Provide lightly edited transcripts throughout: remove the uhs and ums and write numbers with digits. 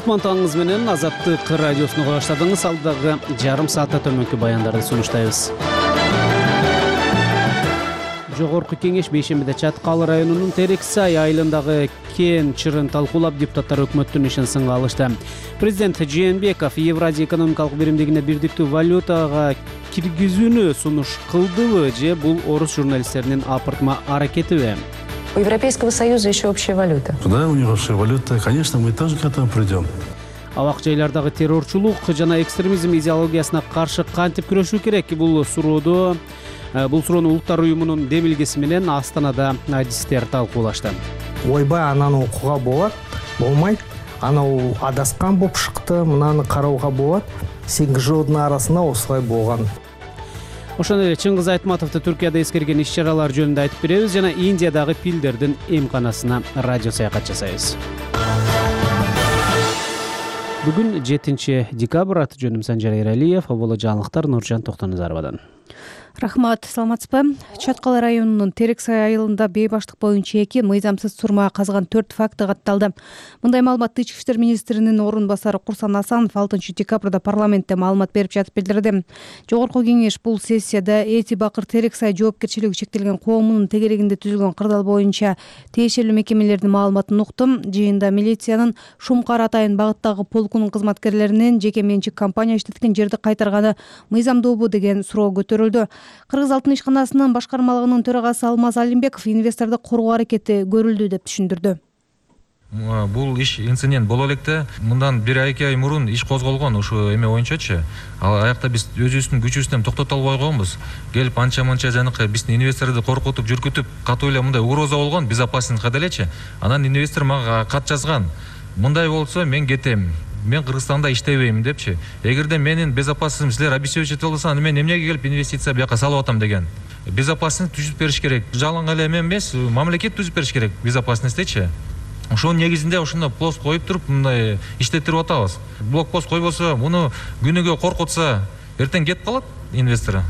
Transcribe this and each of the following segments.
Кутман таңыңыз менен Азаттык радиосуна кула баштадыңыз. Алдагы жарым саатта төмөнкү баяндарды сунуштайбыз. Жогорку кеңеш бейшембиде Чаткал районунун Терексай айылындагы кен чырын талкуулап, депутаттар өкмөттүн ишин сынга алышты. Президент Жээнбеков Евразия экономикалык биримдигине бирдиктүү валютага киргизүүнү сунуш кылдыбы же бул орус журналисттеринин апыртма аракетиби? У Европейского Союза еще общая валюта. Да, у него общая валюта. Конечно, мы тоже к этому придем. Абак жайлардагы террорчулук жана экстремизм идеологиясына каршы кантип күрөшүү керек? Бул суроону Улуттар уюмунун демилгеси менен Астанада адистер талкуулашты. Ойбай ананы окууга болот, болмайт. Анау адаскан болуп шыкты, мынаны карауга болот. 8 жылдын арасында осулай болгон. Ошондой эле Чыңгыз Айтматовду Түркияда эскерген иш-чаралар жөнүндө айтып беребиз жана Индиядагы пилдердин эмканасына радио саякат жасайбыз. Бүгүн 7 декабрь, аты жөнүм Санжар Эралиев, боло жаңылыктар Нуржан Токтоназаровадан. Рахмат, саламатсызбы? Чаткал районунун Терексай айылында бейбаштык боюнча 2 мыйзамсыз сурма казган 4 факты катталды. Мындай маалыматты Ички иштер министринин орун басары Курсан Асанов 6 декабрда парламентте маалымат берип жатып билдирди. Жогорку кеңеш бул сессияда Эти Бакыр Терексай жоопкерчилиги чектелген коомунун тегерегинде түзүлгөн кырдаал боюнча тиешелүү мекемелердин маалыматын уктум. Жыйында милициянын Шумкар Атайын багыттагы полкунун кызматкерлеринин жеке менчик компания иштеткен жерди кайтарганы мыйзамдуубу деген суроо көтөрүлдү. Кыргыз алтын ишканасынын башкармалыгынын төрагасы Алмаз Алимбеков инвесторду коргоо аракети көрүлдү деп түшүндүрдү. Бул иш инцидент боло электе. Мындан 1-2 ай мурун иш козголгон ушу эме боюнчачы. Ал аякта биз өзүбүздүн күчүбүздөн токтото албай койгонбуз. Келип анча-мынча жанакы биздин инвесторду коркутуп, жүркүтүп, катуу эле мындай угроза болгон, безопасностька делечи. Анан инвестор мага кат жазган. Мындай болсо мен кетем. Мен Кыргызстанда иштебейм депчи. Эгерде менин безопасностьум силер обеспечить болсо, аны мен эмнеге келип инвестиция бияка салып атам деген. Безопасность түзүп бериш керек. Жалаң эле эме эмес, мамлекет түзүп бериш керек безопасностьтечи. Ошонун негизинде ошондо пост коюп туруп, мындай иштеттирип атабыз. Блокпост койбосо, муну күнүгө коркутса, эртең кетип калат инвестор.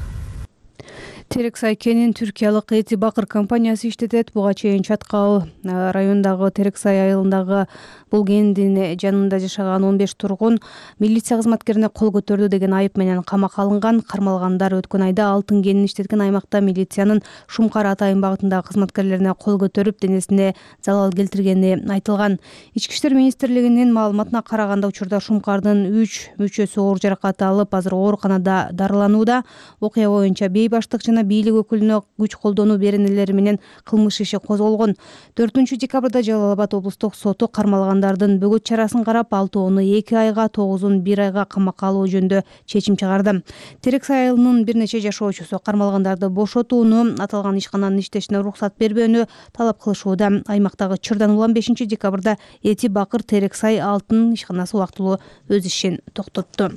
Терексай кенин түркиялык Эти Бакыр компаниясы иштетет. Буга чейин Чаткал районундагы Терексай айылындагы бул кендин жанында жашаган 15 тургун милиция кызматкерине кол көтөрдү деген айып менен камакка алынган. Кармалгандар өткөн айда алтын кенин иштеткен аймакта милициянын Шумкар Атайын багытындагы кызматкерлерине кол көтөрүп, денесине залал келтиргени айтылган. Ички иштер министрлигинин маалыматына караганда, учурда Шумкардын 3 мүчөсү оор жаракат алып, азыр ооруканада дарыланууда. Окуя боюнча бейбаштык жана бийлик өкүлүнө күч колдонуу беренелери менен кылмыш иши козголгон. 4 декабрда Жалал Абад облустук соту кармалгандардын бөгөт чарасын карап, 6-ны 2 айга, 9-ун 1 айга камакка алуу жөнүндө чечим чыгарды. Терексай айылынын бир нече жашоочусу кармалгандарды бошотууну, аталган ишкананын иштешине уруксат бербөөнү талап кылышууда. Аймактагы чырдан улам 5 декабрда Эти Бакыр Терексай алтын ишканасы убактылуу өз ишин токтотту.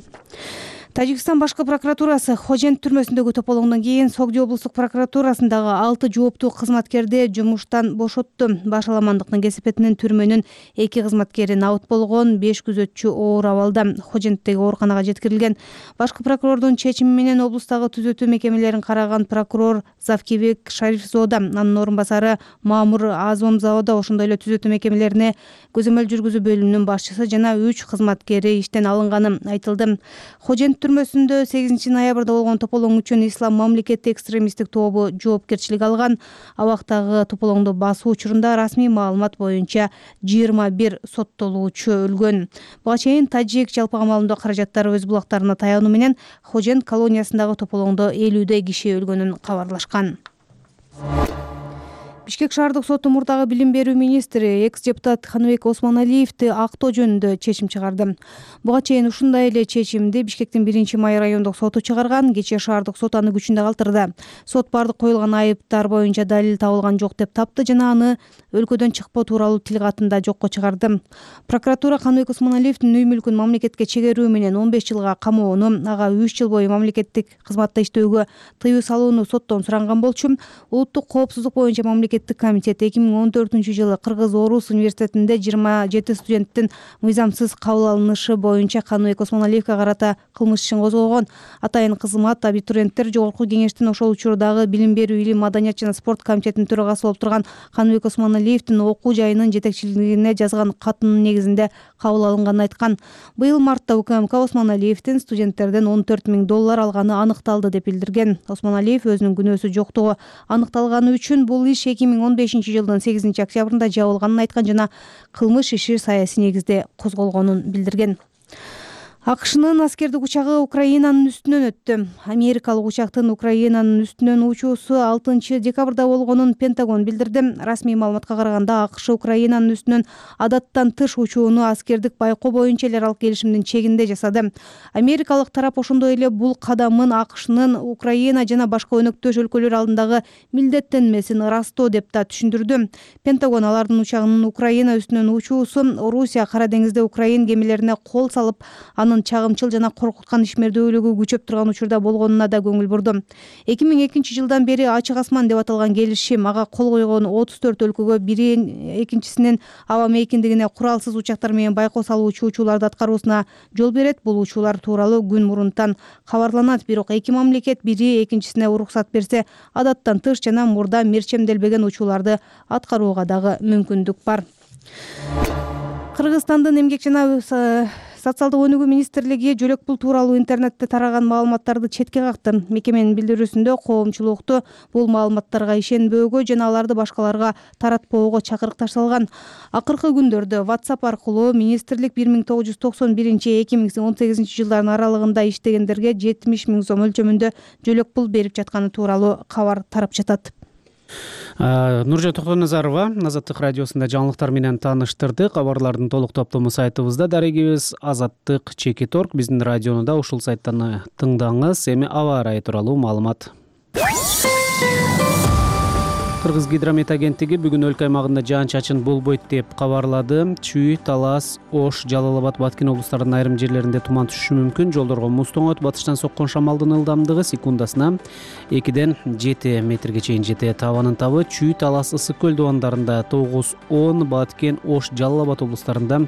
Тажикстан башкы прокуратурасы Хожент түрмөсүндөгү тополоңдон кийин Согди облустук прокуратурасындагы 6 жооптуу кызматкерди жумуштан бошотту. Баш аламандыктын кесепетинен түрмөнүн 2 кызматкери набыт болгон, 5 күзөтчү оор абалда Хоженттеги ооруканага жеткирилген. Башкы прокурордун чечими менен облустагы түзөтүү мекемелерин караган прокурор Завкибек Шарифзода, анын орун басары Мамур Азомзода ошондой эле түзөтүү мекемелерине көзөмөл жүргүзүү бөлүмүнүн башчысы жана 3 кызматкери иштен алынганы айтылды. Хожент түрмөсүндө 8 ноябрда болгон тополоң үчүн Ислам мамлекети экстремисттик тобу жоопкерчилик алган. Абактагы тополоңду басуу учурунда расмий маалымат боюнча 21 соттолуучу өлгөн. Буга чейин тажик жалпы камалымдоо каражаттары өз булактарына таянуу менен Хожент колониясындагы тополоңдо 50 киши өлгөнүн кабарлашкан. Бишкек шаардык соту мурдагы билим берүү министри экс-депутат Ханыбек Осмоналиевди актоо жөнүндө чечим чыгарды. Буга чейин ушундай эле чечимди Бишкектин 1-май райондук соту чыгарган. Кечээ шаардык сот аны күчүндө калтырды. Сот бардык коюлган айыптар боюнча далил табылган жок деп тапты жана аны өлкөдөн чыкпоо тууралуу тил катында жокко чыгарды. Прокуратура Ханыбек Осмоналиевдин үй мүлкүн мамлекетке чегерүү менен 15 жылга камоону, ага 3 жыл бою мамлекеттик кызматта иштөөгө тыюу салууну соттон суранган болчу. Улуттук коопсуздук боюнча мамлекет мамлекеттик комитет 2014-жылы Кыргыз-Орус университетинде 27 студенттин мыйзамсыз кабыл алынышы боюнча Каныбек Осмоналиевге карата кылмыш ишин козгогон. Атайын кызмат абитуриенттер Жогорку кеңештин ошол учурдагы билим берүү, илим, маданият жана спорт комитетинин төрагасы болуп турган Каныбек Осмоналиевдин окуу жайынын жетекчилигине жазган катынын негизинде кабыл алынганын айткан. Быйыл мартта УКМК Осмоналиевдин студенттерден $14 000 алганы аныкталды деп билдирген. Осмоналиев өзүнүн күнөөсү жоктугу аныкталганы үчүн бул иш 2015-жылдын 8 октябрында жабылганын айткан жана кылмыш иши саясий негизде козголгонун билдирген. АКШнын аскердик учагы Украинанын үстүнөн өттү. Америкалык учактын Украинанын үстүнөн учуусу 6 декабрда болгонун Пентагон билдирди. Расмий маалыматка караганда АКШ Украинанын үстүнөн адаттан тыш учууну аскердик байкоо боюнча эл аралык келишимдин чегинде жасады. Америкалык тарап ошондой эле бул кадамын АКШнын Украина жана башка өнөктөш өлкөлөр алдындагы милдеттенмесин ырастоо деп да түшүндүрдү. Пентагон алардын учагынын Украина үстүнөн учуусу Орусия Кара деңизде Украин кемелерине кол салып, анын чагымчыл жана коркуткан ишмердүүлүгү күчөп турган учурда болгонуна да көңүл бурду. 2002-жылдан бери ачык асман деп аталган келишим ага кол койгон 34 өлкөгө бири экинчисинин аба мейкиндигине куралсыз учактар менен байкоо салуучу учууларды аткаруусуна жол берет. Бул учуулар тууралуу күн мурунтан кабарланат, бирок эки мамлекет бири экинчисине уруксат берсе, адаттан тыш жана мурда мерчемделбеген учууларды аткарууга дагы мүмкүндүк бар. Кыргызстандын эмгек жана социалдык өнүгүү министрлиги жөлөк пул тууралуу интернетте тараган маалыматтарды четке какты. Мекеменин билдирүүсүндө коомчулукту бул маалыматтарга ишенбөөгө жана аларды башкаларга таратпоого чакырык ташталган. Акыркы күндөрдө WhatsApp аркылуу министрлик 1991-2018 жылдардын аралыгында иштегендерге 70 000 сом өлчөмүндө жөлөк пул берип жатканы тууралуу кабар тарап жатат. Нуржан Токтоназарова Азаттык радиосунда жаңылыктар менен тааныштырды. Кабарлардын толук топтому сайтыбызда дарегибиз azattyk.org. Биздин радиону да ушул сайттан тыңдаңыз. Эми аба ырайы тууралуу маалымат. Кыргыз гидромет агенттиги бүгүн өлкө аймагында жаан-чачын болбойт деп кабарлады. Чүй, Талас, Ош, Жалал Абад, Баткен облустарынын айрым жерлеринде туман түшүшү мүмкүн. Жолдорго муз тоңот, батыштан соккон шамалдын ылдамдыгы секундасына 2-ден 7 метрге чейин жетет. Абанын табы Чүй, Талас, Ысык көл дубандарында 9-10, Баткен, Ош, Жалал Абад облустарында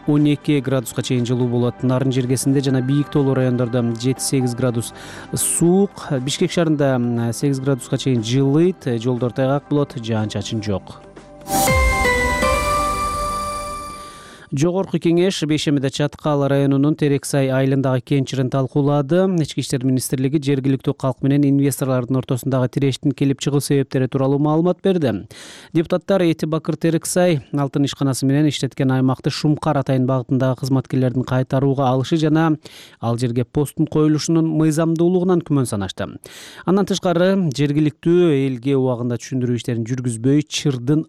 12 градуска чейин жылуу болот. Нарын жергесинде жана бийик тоолуу райондордо 7-8 градус суук. Бишкек шаарында 8 градуска чейин жылыйт. Жолдор тайгак болот, жаан-чачын жок. Жогорку кеңеш Бейшемиде Чаткал районунун Терексай айылындагы кен чырын талкуулады. Ички иштер министрлиги жергиликтүү калк менен инвесторлордун ортосундагы тирештин келип чыгуу себептери тууралуу маалымат берди. Депутаттар Эти Бакыр Терексай алтын ишканасы менен иштеткен аймакты Шумкар атайын багытындагы кызматкерлердин кайтарууга алышы жана ал жерге посттун коюлушунун мыйзамдуулугунан күмөн санашты. Андан тышкары жергиликтүү элге убагында түшүндүрүү иштерин жүргүзбөй чырдын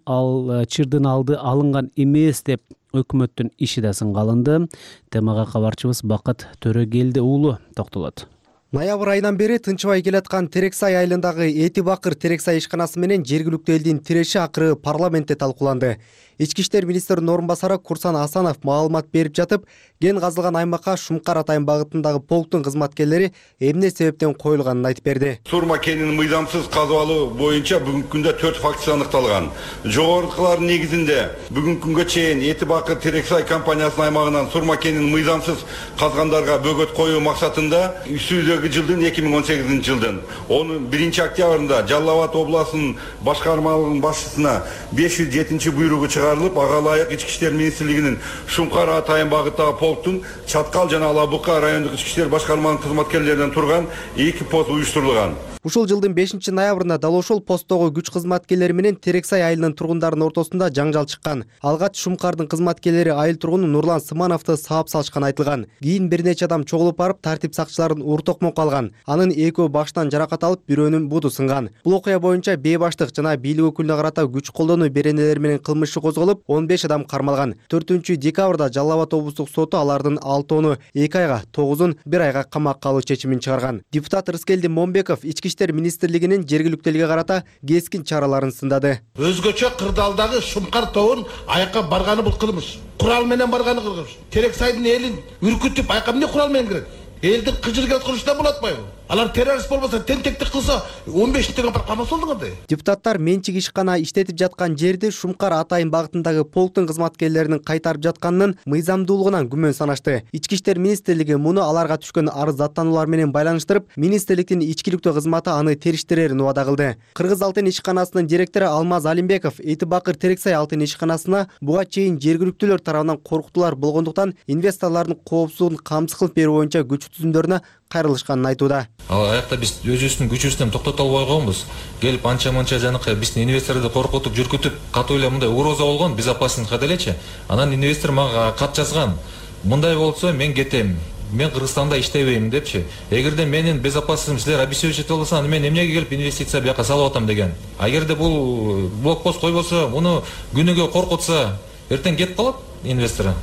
алды алынган эмес деп өкмөттүн иши да сынга алынды. Темага кабарчыбыз Бакыт Төрөгелди уулу токтолот. Ноябрь айынан бери тынчыбай келаткан Терексай айылындагы Эти Бакыр Терексай ишканасы менен жергиликтүү элдин тиреши акыры парламентте талкууланды. Ички иштер министринин орун басары Курсан Асанов маалымат берип жатып, кен казылган аймакка Шумкар атайын багытындагы полктун кызматкерлери эмне себептен коюлганын айтып берди. Сурма кенин мыйзамсыз казып алуу боюнча бүгүнкү күндө 4 фактысы аныкталган. Жогорукулардын негизинде бүгүнкү күнгө чейин Эти Бакыр Терексай компаниясынын аймагынан сурма кенин мыйзамсыз казгандарга бөгөт коюу максатында үстүбүздөгү жылдын 2018 жылдын 1 октябрында Жалал Абад областынын башкармалыгынын башчысына 507 буйругу чыгарылып, ага ылайык ички иштер министрлигинин Шумкар атайын багыттагы полктун Чаткал жана Алабука райондук ички иштер башкармалыгынын кызматкерлеринен турган 2 пост уюштурулган. Ушул жылдын 5 ноябрында дал ошол посттогу күч кызматкерлери менен Терексай айылынын тургундарынын ортосунда жаңжал чыккан. Алгач Шумкардын кызматкерлери айыл тургуну Нурлан Сымановду саап салышкан айтылган. Кийин бир нече адам чогулуп барып тартип сакчыларын уртокмок алган. Анын экөө баштан жаракат алып, бирөөнүн буду сынган. Бул окуя боюнча бээ баштык жана бийлик өкүлүнө карата күч колдонуу беренелери менен кылмыш иши козголуп, 15 адам кармалган. 4 декабрда Жалал Абад облустук соту алардын 6-ны 2 айга, 9-ун 1 айга камакка алуу чечимин чыгарган. Депутат Рыскелди Момбеков ички иштер министрлигинин жергиликтүү элге карата кескин чараларын сындады. Өзгөчө кырдаалдагы Шумкар тобун аякка барганы бул кылмыш. Курал менен барганы кылмыш. Терексайдын элин үркүтүп аякка эмне курал менен кирет? Элдин кыжыр келип кылышта болот атпайбы? Алар террорист болбосо, тентектик кылса 15 деген бар камалса болду кандай? Депутаттар менчик ишкана иштетип жаткан жерди Шумкар Атайын багытындагы полктун кызматкерлеринин кайтарып жатканынын мыйзамдуулугунан күмөн санашты. Ички иштер министрлиги муну аларга түшкөн арыз даттануулар менен байланыштырып, министрликтин ичкиликтүү кызматы аны териштирерин убада кылды. Кыргыз Алтын ишканасынын директору Алмаз Алимбеков Эти Бакыр Терексай Алтын ишканасына буга чейин жергиликтүүлөр тарабынан коркутуулар болгондуктан инвесторлордун коопсуздугун камсыз кылып берүү боюнча күч түзүмдөрүнө кайрылышканын айтууда. Аякта биз өзүбүздүн күчүбүздөн токтото албай койгонбуз. Келип анча-мынча жанакы биздин инвесторду коркутуп, жүркүтүп, катуу эле мындай угроза болгон, безопасность делечи. Анан инвестор мага кат жазган. Мындай болсо мен кетем. Мен Кыргызстанда иштебейм депчи. Эгерде менин безопасностьум силер обеспечить болсо, аны мен эмнеге келип инвестиция бияка салып атам деген. Эгерде бул блокпост койбосо, муну күнүгө коркутса, эртең кетип калат инвестор.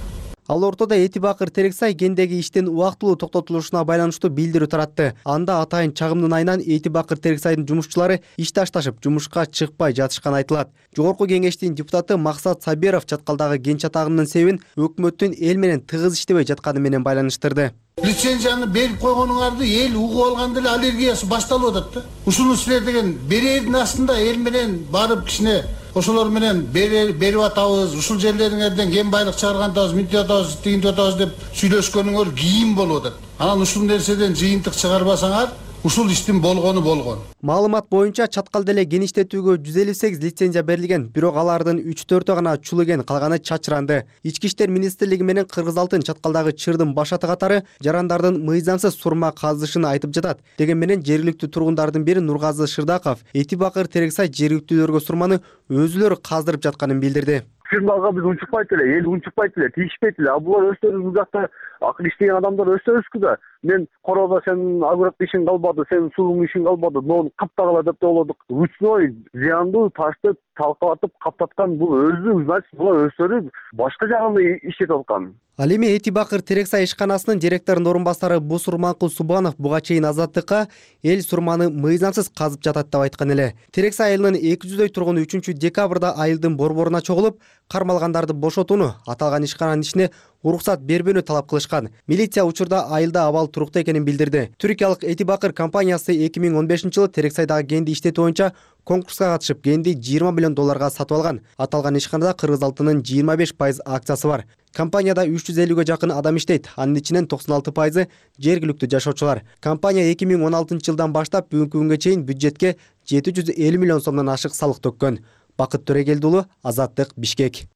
Ал ортодо Эти Бакыр Терексай кендеги иштин убактылуу токтотулушуна байланыштуу билдирүү таратты. Анда атайын чагымдын айынан Эти Бакыр Терексайдын жумушчулары иш ташташып, жумушка чыкпай жатышканы айтылат. Жогорку кеңештин депутаты Максат Сабиров чаткалдагы кен чатагынын себебин өкмөттүн эл менен тыгыз иштебей жатканы менен байланыштырды. Лицензияны берип койгонуңарды эл угуп алганда эле аллергиясы башталып атат да. Ушуну силер деген берердин астында эл менен барып кичине ошолор менен берип атабыз, ушул жерлериңерден кен байлык чыгаргандабыз, мынтип атабыз, тигинтип атабыз деп сүйлөшкөнүңөр кийин болуп атат. Анан ушул нерседен жыйынтык чыгарбасаңар, ушул иштин болгону болгон. Маалымат боюнча чаткалда эле кен иштетүүгө 158 лицензия берилген, бирок алардын 3-4 гана чулуген, калганы чачыранды. Ички иштер министрлиги менен Кыргыз Алтын чаткалдагы чырдын башаты катары жарандардын мыйзамсыз сурма казышын айтып жатат. Деген менен жергиликтүү тургундардын бири Нургазы Шырдаков Эти Бакыр Терексай жергиликтүүлөргө сурманы өзүлөрү каздырып жатканын билдирди. Фирмага біз унчукпайт эле, эл унчукпайт эле, тийишпейт эле. А булар өздөрү бул жакта акыл иштеген адамдар өздөрүбүзкү да. Мен короодо сен агроп ишиң калбады, сен сууң ишиң калбады, нону каптагыла деп ойлодук. Ручной зыяндуу ташты талкалатып каптаткан бул өзү, значит, булар өздөрү башка жагында иштетип аткан. Ал эми Эти Бакыр Терексай ишканасынын директорунун орун басары Бусурманкул Субанов буга чейин Азаттыкка эл сурманы мыйзамсыз казып жатат деп айткан эле. Терексай айылынын 200дөй тургуну 3 декабрда айылдын борборуна чогулуп, кармалгандарды бошотууну, аталган ишкананын ишине уруксат бербөөнү талап кылышкан. Милиция учурда айылда абал туруктуу экенин билдирди. Түркиялык Эти Бакыр компаниясы 2015-жылы Терексайдагы кенди иштетүү боюнча конкурска катышып, кенди $20 миллион сатып алган. Аталган ишканада Кыргыз Алтынынын 25% акциясы бар. Компанияда 350ге жакын адам иштейт. Анын ичинен 96% жергиликтүү жашоочулар. Компания 2016-жылдан баштап бүгүнкү күнгө чейин бюджетке 750 миллион сомдон ашык салык төккөн. Бакыт Төрегелди уулу, Азаттык, Бишкек.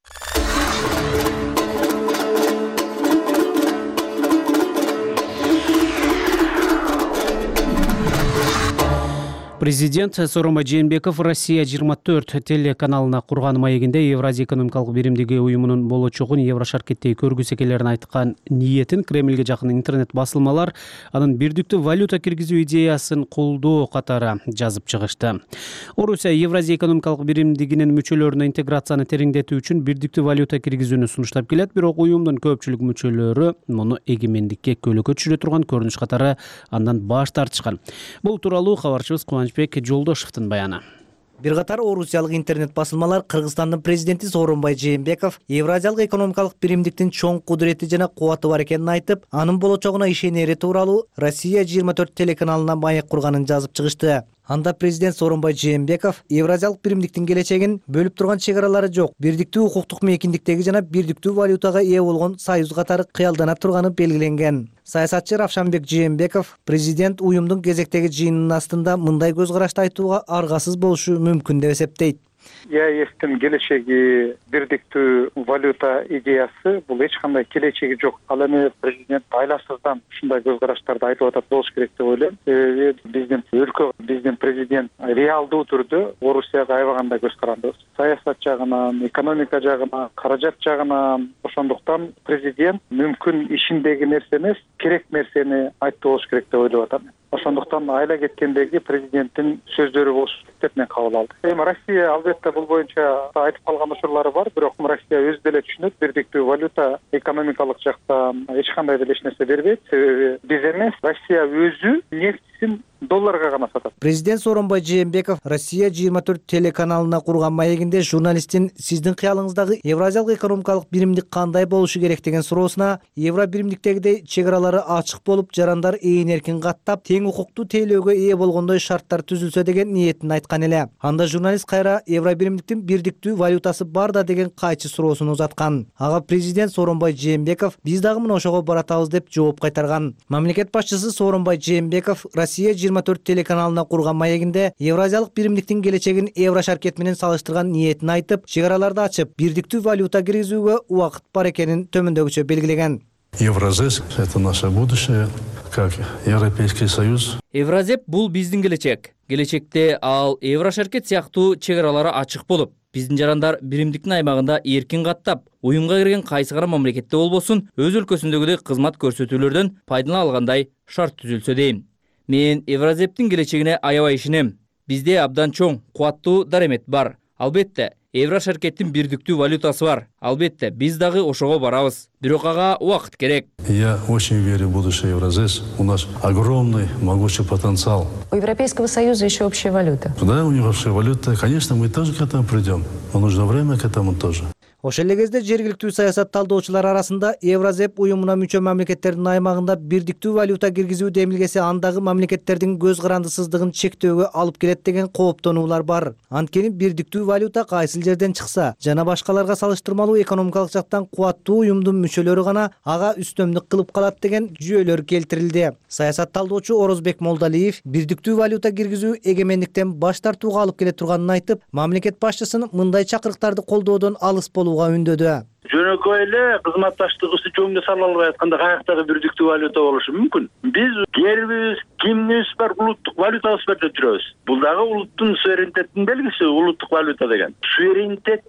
Президент Сооронбай Жээнбеков Россия 24 телеканалына курган маегинде Евразия экономикалык биримдиги уюмунун болочогун Еврошаркеттеги көргүсү келерин айткан ниетин Кремльге жакын интернет басылмалар анын бирдиктүү валюта киргизүү идеясын колдоо катары жазып чыгышты. Орусия Евразия экономикалык биримдигинин мүчөлөрүнө интеграцияны тереңдетүү үчүн бирдиктүү валюта киргизүүнү сунуштап келет, бирок уюмдун көпчүлүк мүчөлөрү муну эгемендикке көөлөккө түшүрө турган көрүнүш катары андан баш тартышкан. Бул тууралуу кабарчыбыз Кубанычбек Жолдошевдун баяны. Бир катар орусиялык интернет басылмалар Кыргызстандын президенти Сооронбай Жээнбеков Евразиялык экономикалык биримдиктин чоң кудурети жана кубаты бар экенин айтып, анын болочогуна ишенери тууралуу Россия 24 телеканалына маек курганын жазып чыгышты. Анда президент Сооронбай Жээнбеков Евразиялык биримдиктин келечегин бөлүп турган чек аралары жок, бирдиктүү укуктук мейкиндиктеги жана бирдиктүү валютага ээ болгон союз катары кыялдана турганы белгиленген. Саясатчы Равшанбек Жээнбеков президент уюмдун кезектеги жыйынынын астында мындай көз карашты айтууга аргасыз болушу мүмкүн деп эсептейт. ЕАЭСтин келечеги бирдиктүү валюта идеясы бул эч кандай келечеги жок. Ал эми президент айласыздан ушундай көз караштарды айтып атат болуш керек деп ойлойм. Биздин өлкө, биздин президент реалдуу түрдө Орусияга аябагандай көз карандыбыз. Саясат жагынан, экономика жагынан, каражат жагынан. Ошондуктан президент мүмкүн ишиндеги нерсе эмес, керек нерсени айтты болуш керек деп ойлоп атам. Ошондуктан айла кеткендеги президенттин сөздөрү болуш деп мен кабыл алдым. Эми Россия албетте бул боюнча айтып калган учурлары бар, бирок Россия өзү деле түшүнөт, бирдиктүү валюта экономикалык жактан эч кандай деле эч нерсе бербейт. Себеби биз эмес, Россия өзү нефть маегин долларга гана сатат. Президент Сооронбай Жээнбеков Россия 24 телеканалына курган маегинде журналисттин сиздин кыялыңыздагы Евразиялык экономикалык биримдик кандай болушу керек деген суроосуна Евро биримдиктегидей чек аралары ачык болуп, жарандар ээн эркин каттап, тең укуктуу тейлөөгө ээ болгондой шарттар түзүлсө деген ниетин айткан эле. Анда журналист кайра Евро биримдиктин бирдиктүү валютасы бар да деген кайчы суроосун узаткан. Ага президент Сооронбай Жээнбеков биз дагы мына ошого баратабыз деп жооп кайтарган. Мамлекет башчысы Сооронбай Жээнбеков Россия 24 телеканалына курган маегинде Евразиялык биримдиктин келечегин Евро шаркет менен салыштырган ниетин айтып, чек араларды ачып, бирдиктүү валюта киргизүүгө убакыт бар экенин төмөндөгүчө белгилеген. Евразес – это наше будущее, как Европейский Союз. Евразеп бул биздин келечек. Келечекте ал Евро шаркет сыяктуу чек аралары ачык болуп, биздин жарандар биримдиктин аймагында эркин каттап, уюмга кирген кайсы гана мамлекетте болбосун, өз өлкөсүндөгүдөй кызмат көрсөтүүлөрдөн пайдалана алгандай шарт түзүлсө дейм. Мен Евразептин келечегине аябай ишенем. Бизде абдан чоң, кубаттуу даремет бар. Албетте, Евро шаркеттин бирдиктүү валютасы бар. Албетте, биз дагы ошого барабыз. Бирок ага убакыт керек. Я очень верю в будущее Евразес. У нас огромный, могучий потенциал. У Европейского Союза еще общая валюта. Да, у него общая валюта. Конечно, мы тоже к этому придем. Но нужно время к этому тоже. Ошол эле кезде жергиликтүү саясат талдоочулар арасында Евразеп уюмуна мүчө мамлекеттердин аймагында бирдиктүү валюта киргизүү демилгеси андагы мамлекеттердин көз карандысыздыгын чектөөгө алып келет деген кооптонуулар бар. Анткени бирдиктүү валюта кайсыл жерден чыкса жана башкаларга салыштырмалуу экономикалык жактан кубаттуу уюмдун мүчөлөрү гана ага үстөмдүк кылып калат деген жүйөлөр келтирилди. Саясат талдоочу Орозбек Молдалиев бирдиктүү валюта киргизүү эгемендиктен баш тартууга алып келе турганын айтып, мамлекет башчысын мындай чакырыктарды колдоодон алыс үндөдү. Жөнөкөй эле кызматташтыгыбызды жөнгө сала албай атканда каяктагы бирдиктүү валюта болушу мүмкүн. Биз гербибиз, кимнибиз бар, улуттук валютабыз бар деп жүрөбүз. Бул дагы улуттун суверенитетинин белгиси, улуттук валюта деген. Суверенитет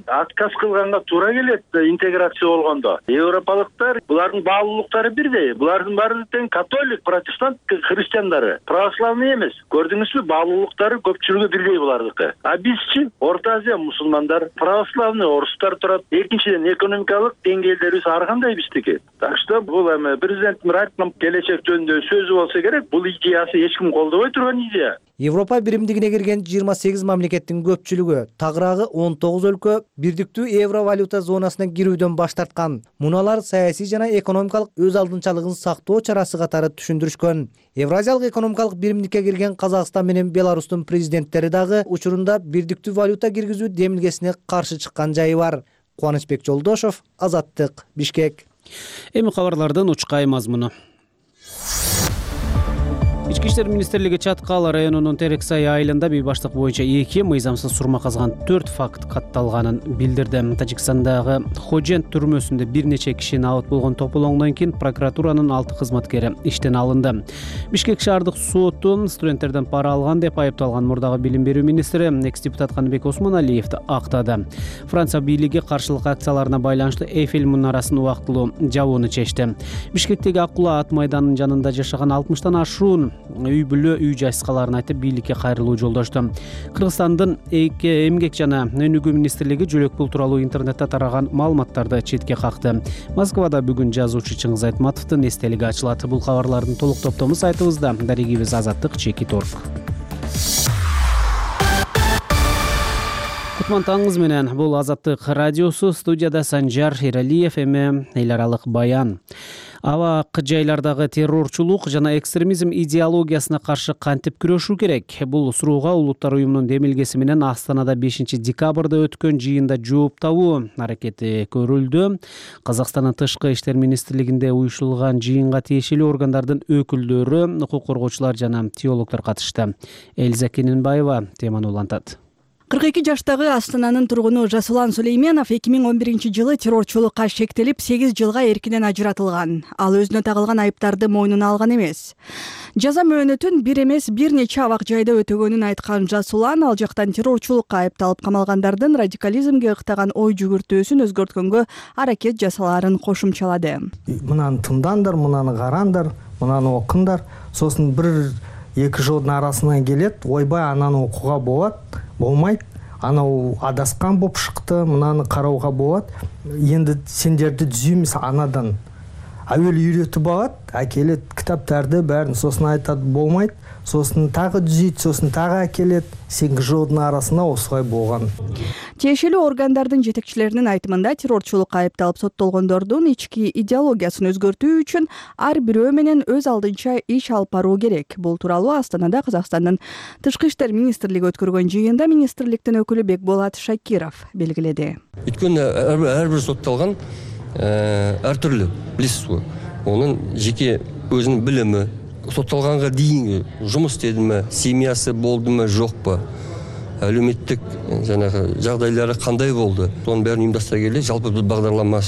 отказ кылганга туура келет интеграция болгондо. Европалыктар булардын баалуулуктары бирдей. Булардын баары тең католик, протестант христиандары, православный эмес. Көрдүңүзбү, баалуулуктары көпчүлүгү бирдей булардыкы. А бизчи Орто Азия мусулмандар, православный орустар турат. Экинчиден экономикалык деңгээлдерибиз ар кандай биздики. Так что бул эми президенттин айткан келечек жөнүндө сөзү болсо керек, бул идеясы эч ким колдобой турган идея. Европа биримдигине кирген 28 мамлекеттин көпчүлүгү, тагыраагы 19 өлкө бирдиктүү евро валюта зонасына кирүүдөн баш тарткан. Муналар саясий жана экономикалык өз алдынчалыгын сактоо чарасы катары түшүндүрүшкөн. Евразиялык экономикалык биримдикке кирген Казакстан менен Беларустун президенттери дагы учурунда бирдиктүү валюта киргизүү демилгесине каршы чыккан жайы бар. Кубанычбек Жолдошов, Азаттык, Бишкек. Эми кабарлардын учкай мазмуну. Ички иштер министрлиги Чаткал районунун Терексай айылында бейбаштык боюнча 2 мыйзамсыз сурма казган 4 факт катталганын билдирди. Тажикстандагы Хожент түрмөсүндө бир нече киши абат болгон тополоңдон кийин прокуратуранын 6 кызматкери иштен алынды. Бишкек шаардык соту студенттерден пара алган деп айыпталган мурдагы билим берүү министри экс-депутат Каныбек Осмоналиевди актады. Франция бийлиги каршылык акцияларына байланыштуу Эйфель мунарасын убактылуу жабууну чечти. Бишкектеги Акула ат майданынын жанында жашаган 60тан ашуун үй бүлө үй жайсыкаларын айтып бийликке кайрылуу жолдошту. Кыргызстандын эмгек жана өнүгүү министрлиги жөлөк пул тууралуу интернетте тараган маалыматтарды четке какты. Москвада бүгүн жазуучу Чыңгыз Айтматовдун эстелиги ачылат. Бул кабарлардын толук топтому сайтыбызда. Дарегибиз Азаттык.org. Кутман таңыңыз менен, бул Азаттык радиосу, студияда Санжар Эралиев, эми эл аралык баян. Абак жайлардагы террорчулук жана экстремизм идеологиясына каршы кантип күрөшүү керек? Бул суроога Улуттар уюмунун демилгеси менен Астанада 5 декабрда өткөн жыйында жооп табуу аракети көрүлдү. Казакстандын тышкы иштер министрлигинде уюштурулган жыйынга тиешелүү органдардын өкүлдөрү, укук коргоочулар жана теологдор катышты. Элза Кененбаева теманы улантат. 42 жаштагы Астананын тургуну Жасулан Сулейменов 2011-жылы террорчулукка шектелип 8 жылга эркинен ажыратылган. Ал өзүнө тагылган айыптарды мойнуна алган эмес. Жаза мөөнөтүн бир эмес бир нече абак жайда өтөгөнүн айткан Жасулан ал жактан террорчулукка айыпталып камалгандардын радикализмге ыктаган ой жүгүртүүсүн өзгөрткөнгө аракет жасалаарын кошумчалады. Мынаны тыңдаңдар, мынаны караңдар, мынаны окуңдар. Сосын 1-2 жылдын арасынан келет, ойбай ананы окууга болот. Болмайт, анау адаскан боп шыкты, мынаны карауга болот. Енді сендерди түзүймүз анадан. Әуелі үйретіп алат, әкелет кітаптарды бәрін, сосын айтады болмайды, сосын тағы түзейді, сосын тағы әкелет, 8 жылдың арасында осылай болған. Тиешелүү органдардын жетекчилеринин айтымында террорчулукка айыпталып соттолгондордун ички идеологиясын өзгөртүү үчүн ар бирөө менен өз алдынча иш алып баруу керек. Бул тууралуу Астанада Казакстандын Тышкы иштер министрлиги өткөргөн жыйында министрликтин өкүлү Бекболат Шакиров белгиледи. Өткөн ар бир соттолгон ар түрлүү, билесиз го. Онун жеке өзүнүн билими, соттолганга дейинги жумуш дедиме, семьясы болдума, жокпу, әлеуметтик жанагы жагдайлары кандай болду, сонун баарын уюмдаштыра келе жалпы бир багдарлама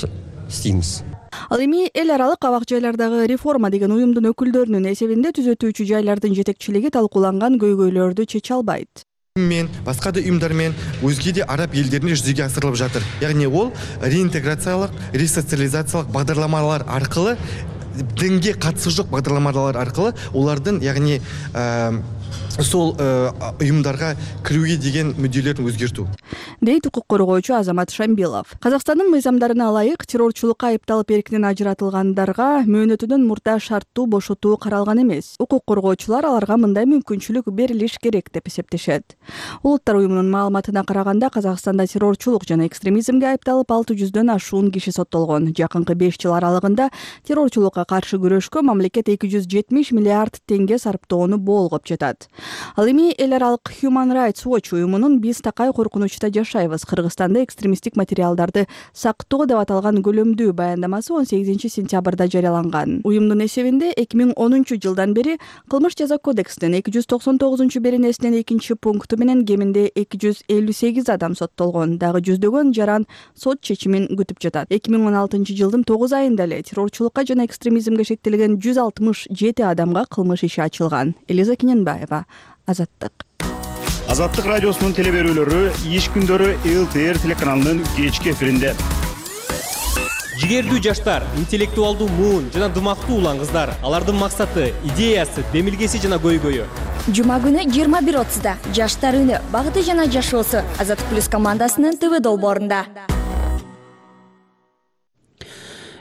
иштейбиз. Ал эми эл аралык абак жайлардагы реформа деген уюмдун өкүлдөрүнүн эсебинде түзөтүүчү жайлардын жетекчилиги талкууланган көйгөйлөрдү чече албайт. Мен басқа да ұйымдармен өзге де араб елдерінде жүзеге асырылып жатыр. Яғни ол реинтеграциялық, ресоциализациялық бағдарламалар арқылы, дінге қатысы жоқ бағдарламалар арқылы олардың, яғни сол ұйымдарға кіруге деген мүдделерін өзгерту. Дейт укук коргоочу Азамат Шамбилов. Казакстандын мыйзамдарына ылайык террорчулукка айыпталып эркинен ажыратылгандарга мөөнөтүнөн мурда шарттуу бошотуу каралган эмес. Укук коргоочулар аларга мындай мүмкүнчүлүк берилиш керек деп эсептешет. Улуттар уюмунун маалыматына караганда Казакстанда террорчулук жана экстремизмге айыпталып 600дөн ашуун киши соттолгон. Жакынкы 5 жыл аралыгында террорчулукка каршы күрөшкө мамлекет 270 миллиард теңге сарптоону болгоп жатат. Ал эми эл аралык Human Rights Watch уюмунун биз такай коркунучта жашайбыз, Кыргызстанда экстремисттик материалдарды сактоо деп аталган көлөмдүү баяндамасы 18 сентябрда жарыяланган. Уюмдун эсебинде 2010 жылдан бери Кылмыш жаза кодексинин 299 беренесинин 2 пункту менен кеминде 258 адам соттолгон, дагы жүздөгөн жаран сот чечимин күтүп жатат. 2016 жылдын 9 айында эле террорчулукка жана экстремизмге шектелген 167 адамга кылмыш иши ачылган. Элиза Кененбаева, Азаттык. Азаттык радиосунун телеберүүлөрү иш күндөрү ЛТР телеканалынын кечки эфиринде. Жигердүү жаштар, интеллектуалдуу муун жана дымактуу улан кыздар. Алардын максаты, идеясы, демилгеси жана көйгөйү. Жума күнү 21:30да Жаштар үнү, багыты жана жашоосу Азаттык плюс командасынын ТВ долбоорунда.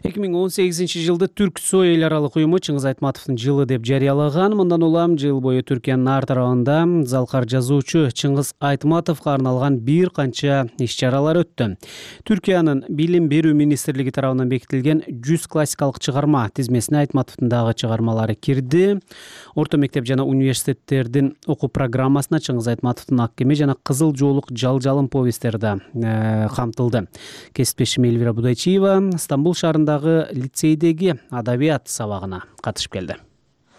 2018 жылды Түрксой эл аралык уюму Чыңгыз Айтматовдун жылы деп жарыялаган. Мындан улам жыл бою Түркиянын ар тарабында залкар жазуучу Чыңгыз Айтматовго арналган бир канча иш-чаралар өттү. Түркиянын Билим берүү министрлиги тарабынан бекитилген 100 классикалык чыгарма тизмесине Айтматовдун дагы чыгармалары кирди. Орто мектеп жана университеттердин окуу программасына Чыңгыз Айтматовдун Ак кеме жана Кызыл жоолук жалжалым повесттери да камтылды. Кесиптешим Элвира Будайчиева Стамбул шаарында лицейдеги адабият сабагына катышып келди.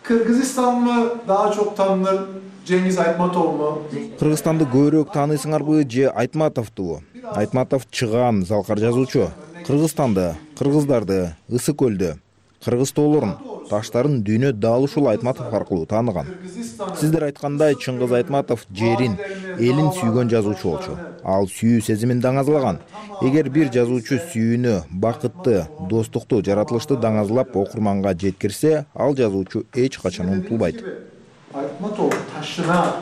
Кыргызстан mı daha çok tanınır, Cengiz Aytmatov mu? Кыргызстанды көбүрөөк тааныйсыңарбы же Айтматовдубу? Айтматов чыган залкар жазуучу. Кыргызстанды, кыргыздарды, Ысык көлдү, кыргыз тоолорун, таштарын дүйнө дал ушул Айтматов аркылуу тааныган. Сиздер айткандай Чыңгыз Айтматов жерин, элин сүйгөн жазуучу болчу. Ал сүйүү сезимин даңазалаган. Эгер бир жазуучу сүйүүнү, бакытты, достукту, жаратылышты даңазалап окурманга жеткирсе, ал жазуучу эч качан унутулбайт. Aytmatov taşına,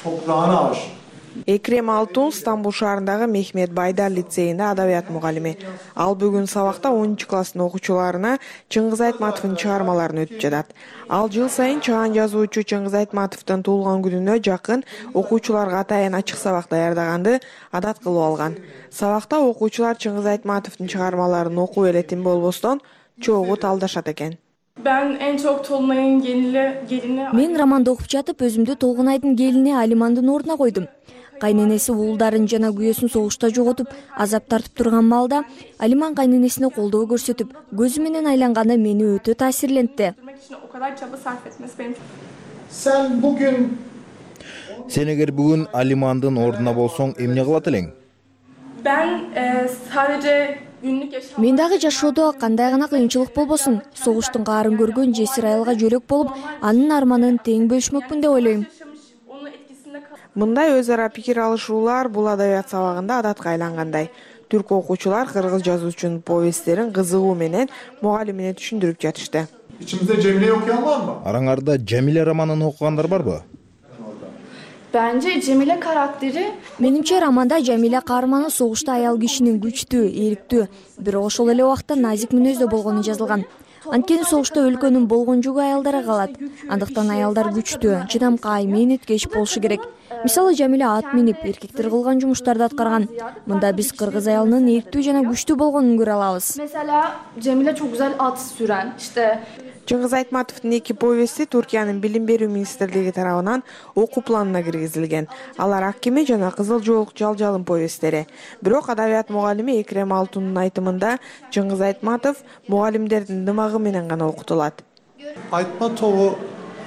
toprağına aşık. Экрем Алтун Стамбул шаарындагы Мехмет Байдар лицейинде адабият мугалими. Ал бүгүн сабакта 10 класстын окуучуларына Чыңгыз Айтматовдун чыгармаларын өтүп жатат. Ал жыл сайын чыган жазуучу Чыңгыз Айтматовдун туулган күнүнө жакын окуучуларга атайын ачык сабак даярдаганды адат кылып алган. Сабакта окуучулар Чыңгыз Айтматовдун чыгармаларын окуп элетин болбостон чогуу талдашат экен. Ben en çok Tolunay'ın gelini... Мен романды окуп жатып, өзүмдү Толгунайдын келини Алимандын ордуна койдум. Кайненеси уулдарын жана күйөөсүн согушта жоготуп, азап тартып турган маалда Алиман кайненесине колдоо көрсөтүп, көзү менен айланганы мени өтө таасирлентти. Sen bugün... Сен эгер бүгүн Алимандын ордуна болсоң, эмне кылат элең? Ben sadece... Мен дагы жашоодо кандай гана кыйынчылык болбосун, согуштун каарын көргөн жесир айылга жөлөк болуп, анын арманын тең бөлүшмөкмүн деп ойлойм. Мындай өз ара пикир алышуулар бул адабият сабагында адатка айлангандай. Түрк окуучулар кыргыз жазуучунун повесттерин кызыгуу менен мугалимине түшүндүрүп жатышты. İçimizde Cemile'yi okuyan var mı? Араңарда Жамиле романын окугандар барбы? Bence Cemile karakteri... Менимче романда Жамиля каарманы согушта аял кишинин күчтүү, эрктүү, бирок ошол эле убакта назик мүнөздө болгону жазылган. Анткени согушта өлкөнүн болгон жүгү аялдарга калат. Андыктан аялдар күчтүү, чыдамкай, мээниткеч болушу керек. Мисалы Жамиля ат минип, эркектер кылган жумуштарды аткарган. Мында биз кыргыз аялынын эрктүү жана күчтүү болгонун көрө алабыз. Mesela Cemile çok güzel at süren, işte Чыңгыз Айтматовдун эки повести Туркиянын билим берүү министрлиги тарабынан окуу планына киргизилген. Алар Ак кеме жана Кызыл жоолук жалжалым повесттери. Бирок адабият мугалими Экрем Алтундун айтымында Чыңгыз Айтматов мугалимдердин дымагы менен гана окутулат. Айтматову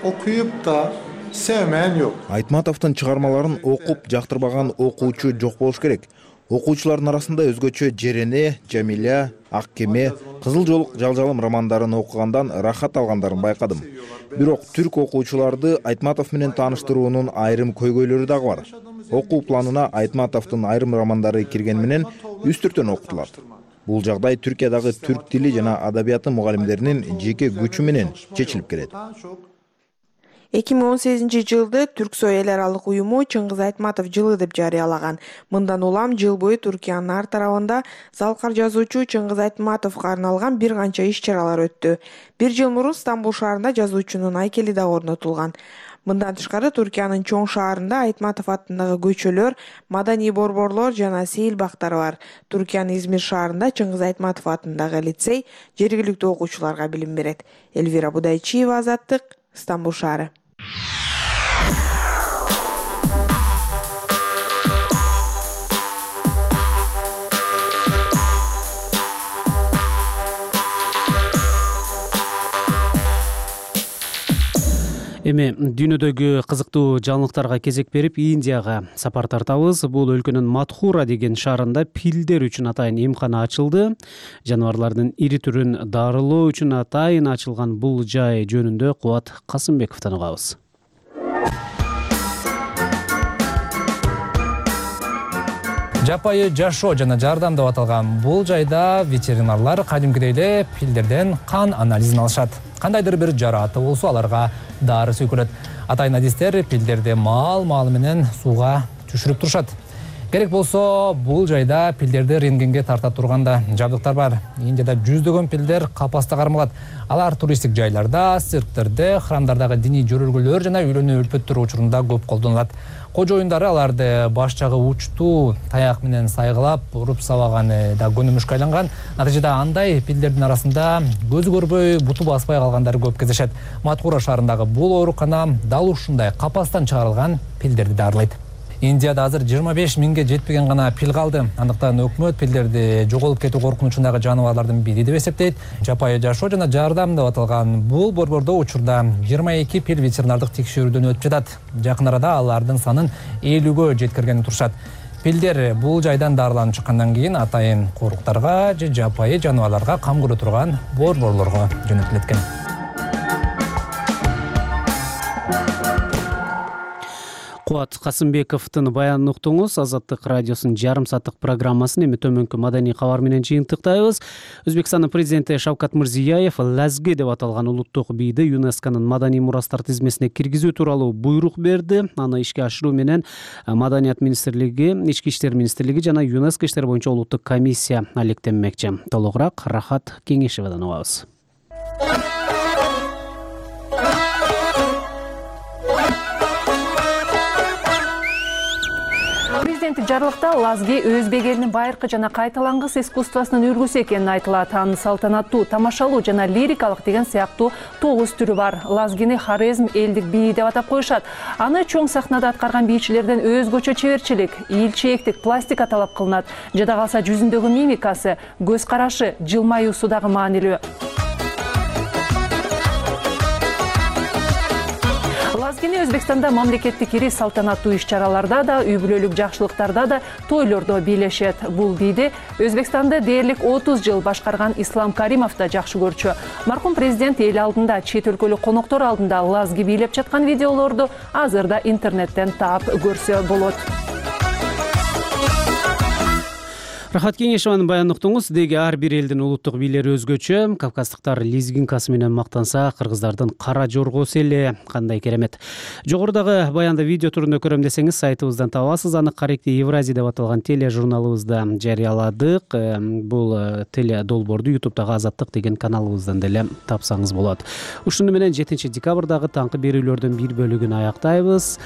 окуюп да sevmeyen yok. Айтматовдун чыгармаларын окуп жактырбаган окуучу жок болуш керек. Окуучулардын арасында өзгөчө Жерене, Жамиля, Ак кеме, Кызыл жоолук жалжалым романдарын окугандан рахат алгандарын байкадым. Бирок түрк окуучуларды Айтматов менен тааныштыруунун айрым көйгөйлөрү дагы бар. Окуу планына Айтматовдун айрым романдары кирген менен үстүртөн окутулат. Бул жагдай Түркиядагы түрк тили жана адабияты мугалимдеринин жеке күчү менен чечилип келет. 2018-жылды Түрксой эл аралык уюму Чыңгыз Айтматов жылы деп жарыялаган. Мындан улам жыл бою Түркиянын ар тарабында залкар жазуучу Чыңгыз Айтматовго арналган бир канча иш-чаралар өттү. Бир жыл мурун Стамбул шаарында жазуучунун айкели да орнотулган. Мындан тышкары Түркиянын чоң шаарында Айтматов аттындагы көчөлөр, маданий борборлор жана сейил бактары бар. Түркиянын Измир шаарында Чыңгыз Айтматов аттындагы лицей жергиликтүү окуучуларга билим берет. Элвира Будайчиева, Азаттык, Стамбул шаары. Эми дүйнөдөгү кызыктуу жаңылыктарга кезек берип Индияга сапар тартабыз. Бул өлкөнүн Матхура деген шаарында пилдер үчүн атайын эмкана ачылды. Жаныбарлардын ири түрүн дарылоо үчүн атайын ачылган бул жай жөнүндө Кубат Касымбековдон угабыз. Жапайы жашоо жана жардам деп аталган бул жайда ветеринарлар кадимкидей эле пилдерден кан анализин алышат. Кандайдыр бир жарааты болсо аларга дары сүйкөлөт. Атайын адистер пилдерди маал менен сууга түшүрүп турушат. Керек болсо бул жайда пилдерди рентгенге тарта турганда жабдыктар бар. Индияда жүздөгөн пилдер капаста кармалат. Алар туристтик жайларда, цирктерде, храмдардагы диний жөрөлгөлөр жана үйлөнүү өлпөттөр учурунда көп колдонулат. Кожоюндары аларды баш жагы учтуу таяк менен сайгылап, уруп сабаганы да көнүмүшкө айланган. Натыйжада андай пилдердин арасында көзү көрбөй, буту баспай калгандары көп кездешет. Матхура шаарындагы бул оорукана дал ушундай капастан чыгарылган пилдерди дарылайт. Индияда азыр 25 миңге жетпеген гана пил калды. Андыктан өкмөт пилдерди жоголуп кетүү коркунучундагы жаныбарлардын бири деп эсептейт. Жапайы жашоо жана жардам деп аталган бул борбордо учурда 22 пил ветеринардык текшерүүдөн өтүп жатат. Жакын арада алардын санын 50гө жеткиргени турушат. Пилдер бул жайдан дарыланып чыккандан кийин атайын коруктарга же жапайы жаныбарларга кам көрө турган борборлорго жөнөтүлөт экен. Кубат Касымбековдун баянын уктуңуз. Азаттык радиосунун жарым сааттык программасын эми төмөнкү маданий кабар менен жыйынтыктайбыз. Өзбекстандын президенти Шавкат Мирзиёев Лазги деп аталган улуттук бийди ЮНЕСКОнун маданий мурастар тизмесине киргизүү тууралуу буйрук берди. Аны ишке ашыруу менен Маданият министрлиги, Ички иштер министрлиги жана ЮНЕСКО иштер боюнча улуттук комиссия алектенмекчи. Толугураак Рахат Кеңешевадан угабыз. Президенттик жарлыкта Лазги өзбек элинин байыркы жана кайталангыс искусствосунун үлгүсү экенин айтылат. Анын салтанаттуу, тамашалуу жана лирикалык деген сыяктуу 9 түрү бар. Лазгини Хорезм элдик бийи деп атап коюшат. Аны чоң сахнада аткарган бийчилерден өзгөчө чеберчилик, ийилчээктик, пластика талап кылынат. Жада калса жүзүндөгү мимикасы, көз карашы, жылмаюусу дагы маанилүү. Лазгини Өзбекстанда мамлекеттик ири салтанаттуу иш-чараларда да, үй бүлөлүк жакшылыктарда да, тойлордо бийлешет. Бул бийди Өзбекстанды дээрлик 30 жыл башкарган Ислам Каримов да жакшы көрчү. Маркум президент эл алдында, чет өлкөлүк коноктор алдында Лазги бийлеп жаткан видеолорду азыр да интернеттен таап көрсө болот. Рахат Кеңешеванын баянын уктуңуз. Деги ар бир элдин улуттук бийлери өзгөчө. Кавказдыктар лезгинкасы менен мактанса, кыргыздардын кара жоргосу эле кандай керемет. Жогорудагы баянды видео түрүндө көрөм десеңиз, сайтыбыздан табасыз. Аны Каректи Евразия деп аталган тележурналыбызда жарыяладык. Бул теле долбоорду YouTube'дагы Азаттык деген каналыбыздан деле тапсаңыз болот. Ушуну менен 7 декабрдагы таңкы берүүлөрдүн бир бөлүгүн аяктайбыз.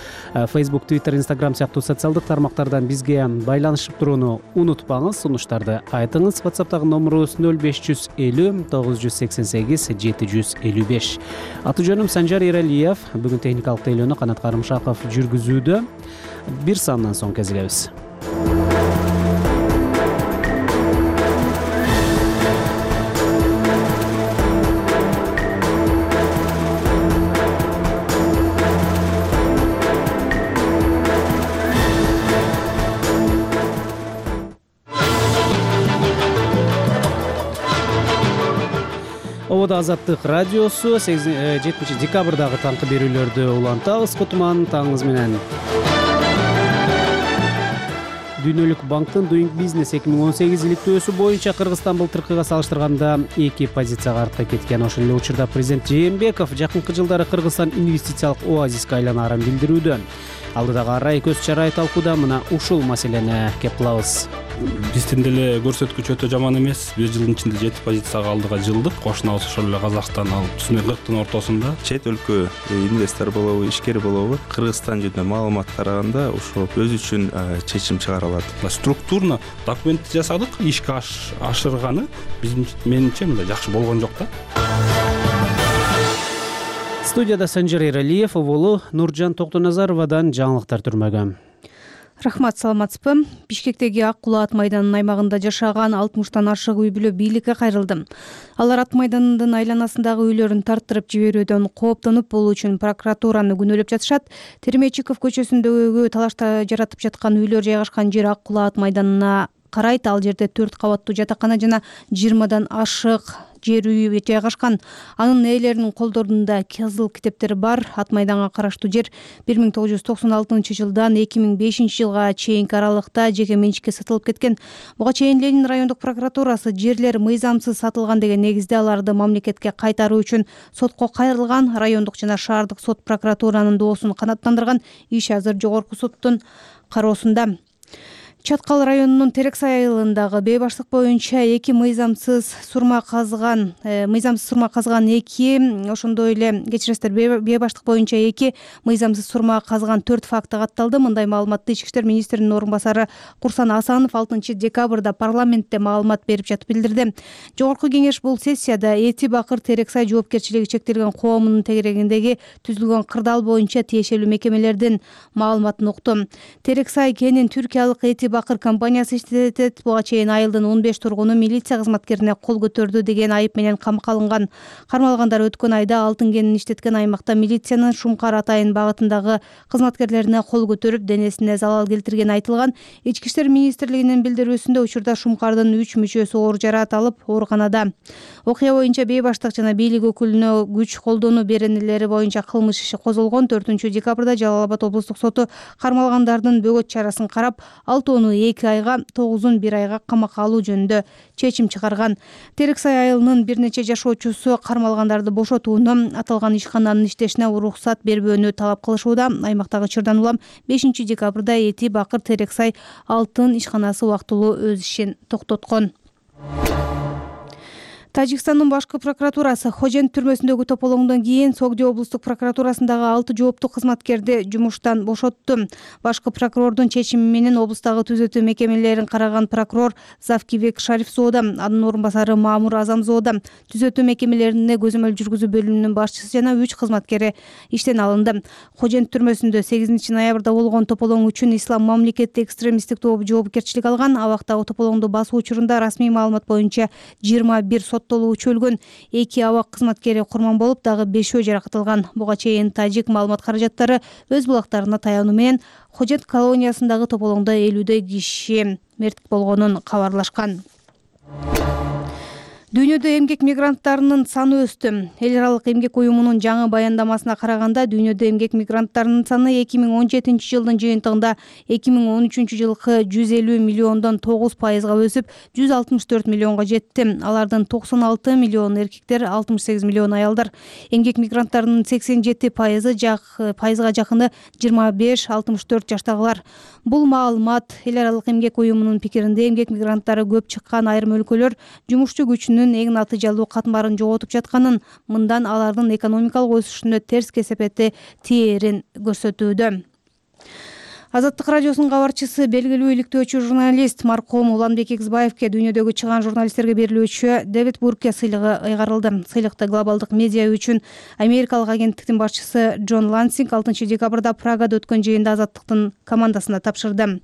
Facebook, Twitter, Instagram сыяктуу социалдык тармактардан бизге байланышып турууну унутпаңыз. Сунуштарды айтыңыз. WhatsApp'тагы номерубуз 0550 988 755. Аты жөнүм Санжар Эралиев. Бүгүн техникалык тейлөөнү Канат Карымшаков жүргүзүүдө. Бир сандан соң кезигебиз. Обода Азаттык радиосу 7 декабрдагы таңкы берүүлөрдү улантабыз. Кутман таңыңыз менен. Дүйнөлүк банктын Doing Business 2018 иликтөөсү боюнча Кыргызстан былтыркыга салыштырганда 2 позицияга артка кеткен. Ошол эле учурда президент Жээнбеков жакынкы жылдары Кыргызстан инвестициялык оазиске айланарын билдирүүдө. Алдыдагы арай көз чарай талкууда мына ушул маселени кеп кылабыз. Биздин деле көрсөткүч өтө жаман эмес. Бир жылдын ичинде 7 позицияга алдыга жылдык. Кошунабыз ошол эле Казакстан ал түзмө 40тын ортосунда. Чет өлкө инвестор болобу, ишкер болобу, Кыргызстан жөнүндө маалымат караганда ошо өз үчүн чечим чыгара алат. Структурно документ жасадык, ишке ашырганы менимче мындай жакшы болгон жок да. Студияда Санжар Эралиев, оболу Нуржан Токтоназаровадан жаңылыктар түрмөгө. Рахмат, саламатсызбы? Бишкектеги Ак Кулаа ат майданынын аймагында жашаган 60тан ашык үй бүлө бийликке кайрылды. Алар ат майданынын айланасындагы үйлөрүн тарттырып жиберүүдөн кооптонуп, бул үчүн прокуратураны күнөөлөп жатышат. Термечиков көчөсүндөгү талашта жаратып жаткан үйлөр жайгашкан жер Ак Кулаа ат майданына карайт. Ал жерде 4 кабаттуу жатакана жана 20дан ашык жер үй жайгашкан. Анын ээлеринин колдорунда кызыл китептер бар. Ат майданга караштуу жер 1996-жылдан 2005-жылга чейинки аралыкта жеке менчикке сатылып кеткен. Буга чейин Ленин райондук прокуратурасы жерлер мыйзамсыз сатылган деген негизде аларды мамлекетке кайтаруу үчүн сотко кайрылган. Райондук жана шаардык сот прокуратуранын доосун канааттандырган. Иш азыр жогорку соттун кароосунда. Чаткал районунун Терексай айылындагы бейбаштык боюнча 2 мыйзамсыз сурма казган 2, ошондой эле кечиресиздер, бейбаштык боюнча 2 мыйзамсыз сурма казган 4 факты катталды. Мындай маалыматты Ички иштер министринин орун басары Курсан Асанов 6 декабрда парламентте маалымат берип жатып билдирди. Жогорку кеңеш бул сессияда Эти Бакыр Терексай жоопкерчилиги чектелген коомунун тегерегиндеги түзүлгөн кырдаал боюнча тиешелүү мекемелердин маалыматын укту. Терексай кенин түркиялык Эти Бакыр компаниясы иштетет. Буга чейин айылдын 15 тургуну милиция кызматкерине кол көтөрдү деген айып менен камакка алынган. Кармалгандар өткөн айда алтын кенин иштеткен аймакта милициянын Шумкар Атайын багытындагы кызматкерлерине кол көтөрүп, денесине залал келтиргени айтылган. Ички иштер министрлигинин билдирүүсүндө учурда Шумкардын 3 мүчөсү оор жараат алып, ооруканада. Окуя боюнча бейбаштык жана бийлик өкүлүнө күч колдонуу беренелери боюнча кылмыш иши козголгон. 4 декабрда Жалал Абад облустук соту кармалгандардын бөгөт чарасын карап, 6-оону 2 айга, 9-ун 1 айга камакка алуу жөнүндө чечим чыгарган. Терексай айылынын бир нече жашоочусу кармалгандарды бошотууну, аталган ишкананын иштешине уруксат бербөөнү талап кылышууда. Аймактагы чырдан улам 5 декабрда Эти Бакыр Терексай алтын ишканасы убактылуу өз ишин токтоткон. Тажикстандын башкы прокуратурасы Хожент түрмөсүндөгү тополоңдон кийин Согди облустук прокуратурасындагы 6 жооптуу кызматкерди жумуштан бошотту. Башкы прокурордун чечими менен облустагы түзөтүү мекемелерин караган прокурор Завкибек Шарифзода, анын орун басары Мамур Азамзода, түзөтүү мекемелерине көзөмөл жүргүзүү бөлүмүнүн башчысы жана 3 кызматкери иштен алынды. Хожент түрмөсүндө 8 ноябрда болгон тополоң үчүн Ислам мамлекеттик экстремисттик тобу жоопкерчилик алган. Абактагы тополоңду басуу учурунда расмий маалымат боюнча 21 соттолуучу өлгөн, 2 абак кызматкери курман болуп, дагы 5 жаракат алган. Буга чейин тажик маалымат каражаттары өз булактарына таянуу менен Хожент колониясындагы тополоңдо 50 киши мерт болгонун кабарлашкан. Дүйнөдө эмгек мигранттарынын саны өстү. Эл аралык эмгек уюмунун жаңы баяндамасына караганда, дүйнөдө эмгек мигранттарынын саны 2017 жылдын жыйынтыгында 2013 жылкы 150 миллиондон 9%га өсүп, 164 миллионго жетти. Алардын 96 миллион эркектер, 68 миллион аялдар. Эмгек мигранттарынын 87%га жакыны 25-64 жаштагылар. Бул маалымат эл аралык эмгек уюмунун пикиринде, эмгек мигранттары көп чыккан айрым өлкөлөр жумушчу күчүнүн эң натыйжалуу катмарын жоготуп жатканын, мындан алардын экономикалык өсүшүнө терс кесепети тиерин көрсөтүүдө. Азаттык радиосунун кабарчысы, белгилүү иликтөөчү журналист маркум Уланбек Экизбаевке дүйнөдөгү чыгаан журналисттерге берилүүчү Дэвид Бурке сыйлыгы ыйгарылды. Сыйлыкты глобалдык медиа үчүн Америкалык агенттиктин башчысы Джон Лансинг 6 декабрда Прагада өткөн жыйында Азаттыктын командасына тапшырды.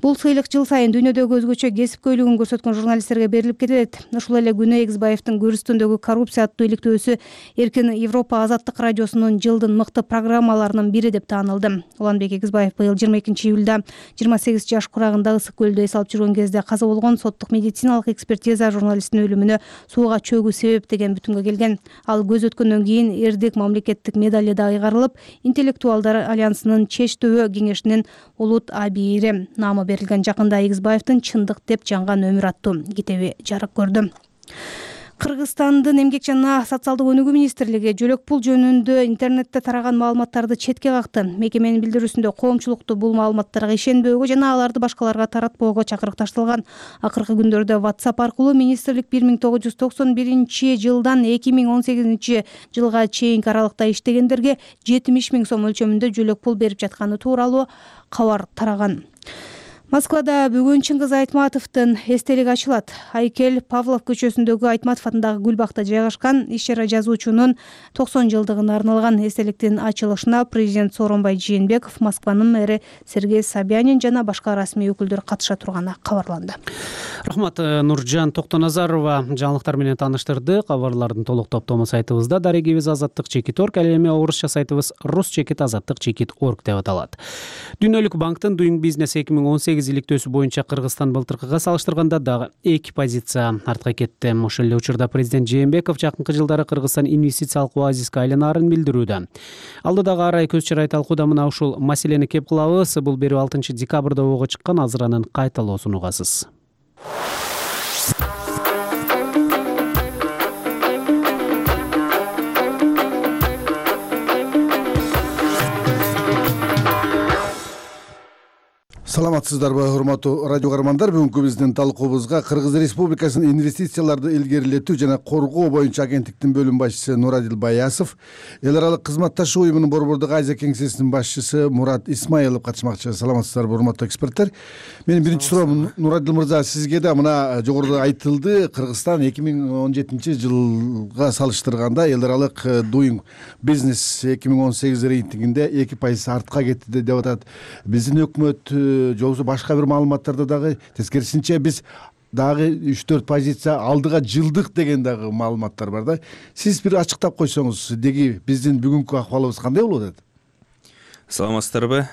Бул сыйлык жыл сайын дүйнөдөгү өзгөчө кесипкөйлүгүн көрсөткөн журналисттерге берилип келет. Ушул эле күнү Экизбаевдин көрүстөндөгү коррупция аттуу иликтөөсү Эркин Европа Азаттык радиосунун жылдын мыкты программаларынын бири деп таанылды. Уланбек Экизбаев быйыл 22 июлда 28 жаш курагында Ысык көлдө эс алып жүргөн кезде каза болгон. Соттук медициналык экспертиза журналисттин өлүмүнө сууга чөгүү себеп деген бүтүнгө келген. Ал көз өткөндөн кийин эрдик мамлекеттик медали да ыйгарылып, интеллектуалдар альянсынын Чеч төбө кеңешинин улут абийири наамы берилген. Жакында Экизбаевдин Чындык деп жанган өмүр аттуу китеби жарык көрдү. Кыргызстандын эмгек жана социалдык өнүгүү министрлиги жөлөк пул жөнүндө интернетте тараган маалыматтарды четке какты. Мекеменин билдирүүсүндө коомчулукту бул маалыматтарга ишенбөөгө жана аларды башкаларга таратпоого чакырык ташталган. Акыркы күндөрдө WhatsApp аркылуу министрлик 1991 жылдан 2018 жылга чейинки аралыкта иштегендерге 70 000 сом өлчөмүндө жөлөк пул берип жатканы тууралуу кабар тараган. Москвада бүгүн Чыңгыз Айтматовдун эстелиги ачылат. Айкел Павлов көчөсүндөгү Айтматов атындагы Гүлбакта жайгашкан иш-чара жазуучунун 90 жылдыгына арналган эстеликтин ачылышына президент Сооронбай Жээнбеков, Москванын мэри Сергей Собянин жана башка расмий өкүлдөр катыша турганы кабарланды. Рахмат, Нуржан Токтоназарова жаңылыктар менен тааныштырды. Кабарлардын толук топтому сайтыбызда, дарегибиз azattik.org, ал эми орусча сайтыбыз rus.azattik.org деп аталат. Дүйнөлүк банктын Doing Business 2018 иликтөөсү боюнча Кыргызстан былтыркыга салыштырганда дагы 2 позиция артка кетти. Ошол эле учурда президент Жээнбеков жакынкы жылдары Кыргызстан инвестициялык оазиске айланаарын билдирүүдө. Алдыдагы арай көз чырай талкууда мына ушул маселени кеп кылабыз. Бул берүү 6 декабрда ого чыккан азыранын кайталоосун угасыз. Саламатсыздарбы, урматтуу радио каармандар. Бүгүнкү биздин талкуубузга Кыргыз Республикасынын инвестицияларды илгерилетүү жана коргоо боюнча агенттиктин бөлүм башчысы Нурадил Баясов, эл аралык кызматташуу уюмунун Борбордук Азия кеңсесинин башчысы Мурат Исмаилов катышмакчы. Саламатсыздарбы, урматтуу эксперттер. Менин биринчи суроом, Нурадил мырза, сизге да мына жогоруда айтылды, Кыргызстан 2017 жылга салыштырганда эл аралык Doing Business 2018 рейтингинде 2% артка кетти деп атат. Биздин өкмөт же болбосо башка бир маалыматтарда дагы тескерисинче биз дагы 3-4 позиция алдыга жылдык деген дагы маалыматтар бар да. Сиз бир ачыктап койсоңуз, деги биздин бүгүнкү акыбалыбыз кандай болуп атат? Саламатсыздарбы?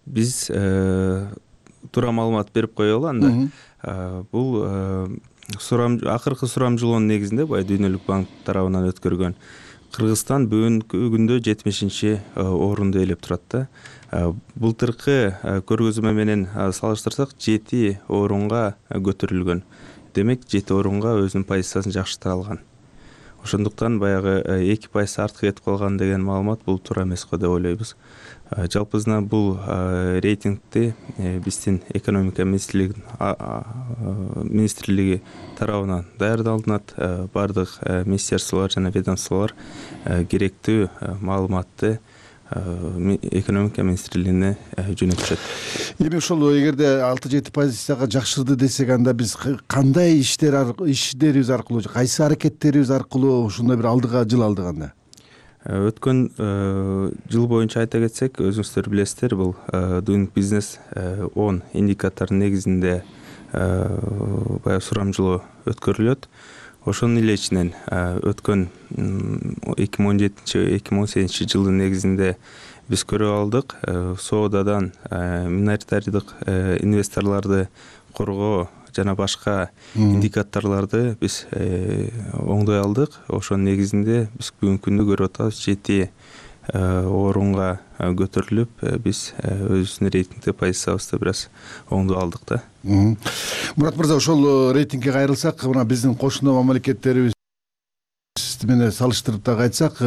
Биз туура маалымат берип коелу анда. Бул акыркы сурамжылоонун негизинде бай Дүйнөлүк банк тарабынан өткөргөн Кыргызстан бүгүнкү күндө 70 орунду ээлеп турат да. Былтыркы көргөзмө менен салыштырсак 7 орунга көтөрүлгөн. Демек 7 орунга өзүнүн позициясын жакшырта алган. Ошондуктан баягы 2% артка кетип калган деген маалымат бул туура эмес го деп ойлойбуз. Жалпысынан бул рейтингти биздин экономика министрлиги тарабынан даярдалынат. Бардык министерстволор жана ведомстволор керектүү маалыматты экономика министрлигине жөнөтүшөт. Эми ошол эгерде 6-7 позицияга жакшырды десек, анда биз кандай иштерибиз аркылуу, кайсы аракеттерибиз аркылуу ушундай бир алдыга жылалдыганда? Өткөн жыл боюнча айта кетсек, өзүңүздөр билесиздер, бул Doing Business 10 индикаторунун негизинде баягы сурамжылоо өткөрүлөт. Ошонун эле ичинен өткөн 2017-2018 жылдын негизинде биз көрүп алдык, соодадан миноритардык инвесторлорду коргоо жана башка индикаторлорду биз оңдой алдык. Ошонун негизинде биз бүгүнкү күндө көрүп атабыз 7 орунга көтөрүлүп, биз өзүбүздүн рейтингде позициябызды бир аз оңдой алдык да. Мурат мырза, ошол рейтингге кайрылсак, мына биздин кошуна мамлекеттерибиз менен салыштырып дагы айтсак,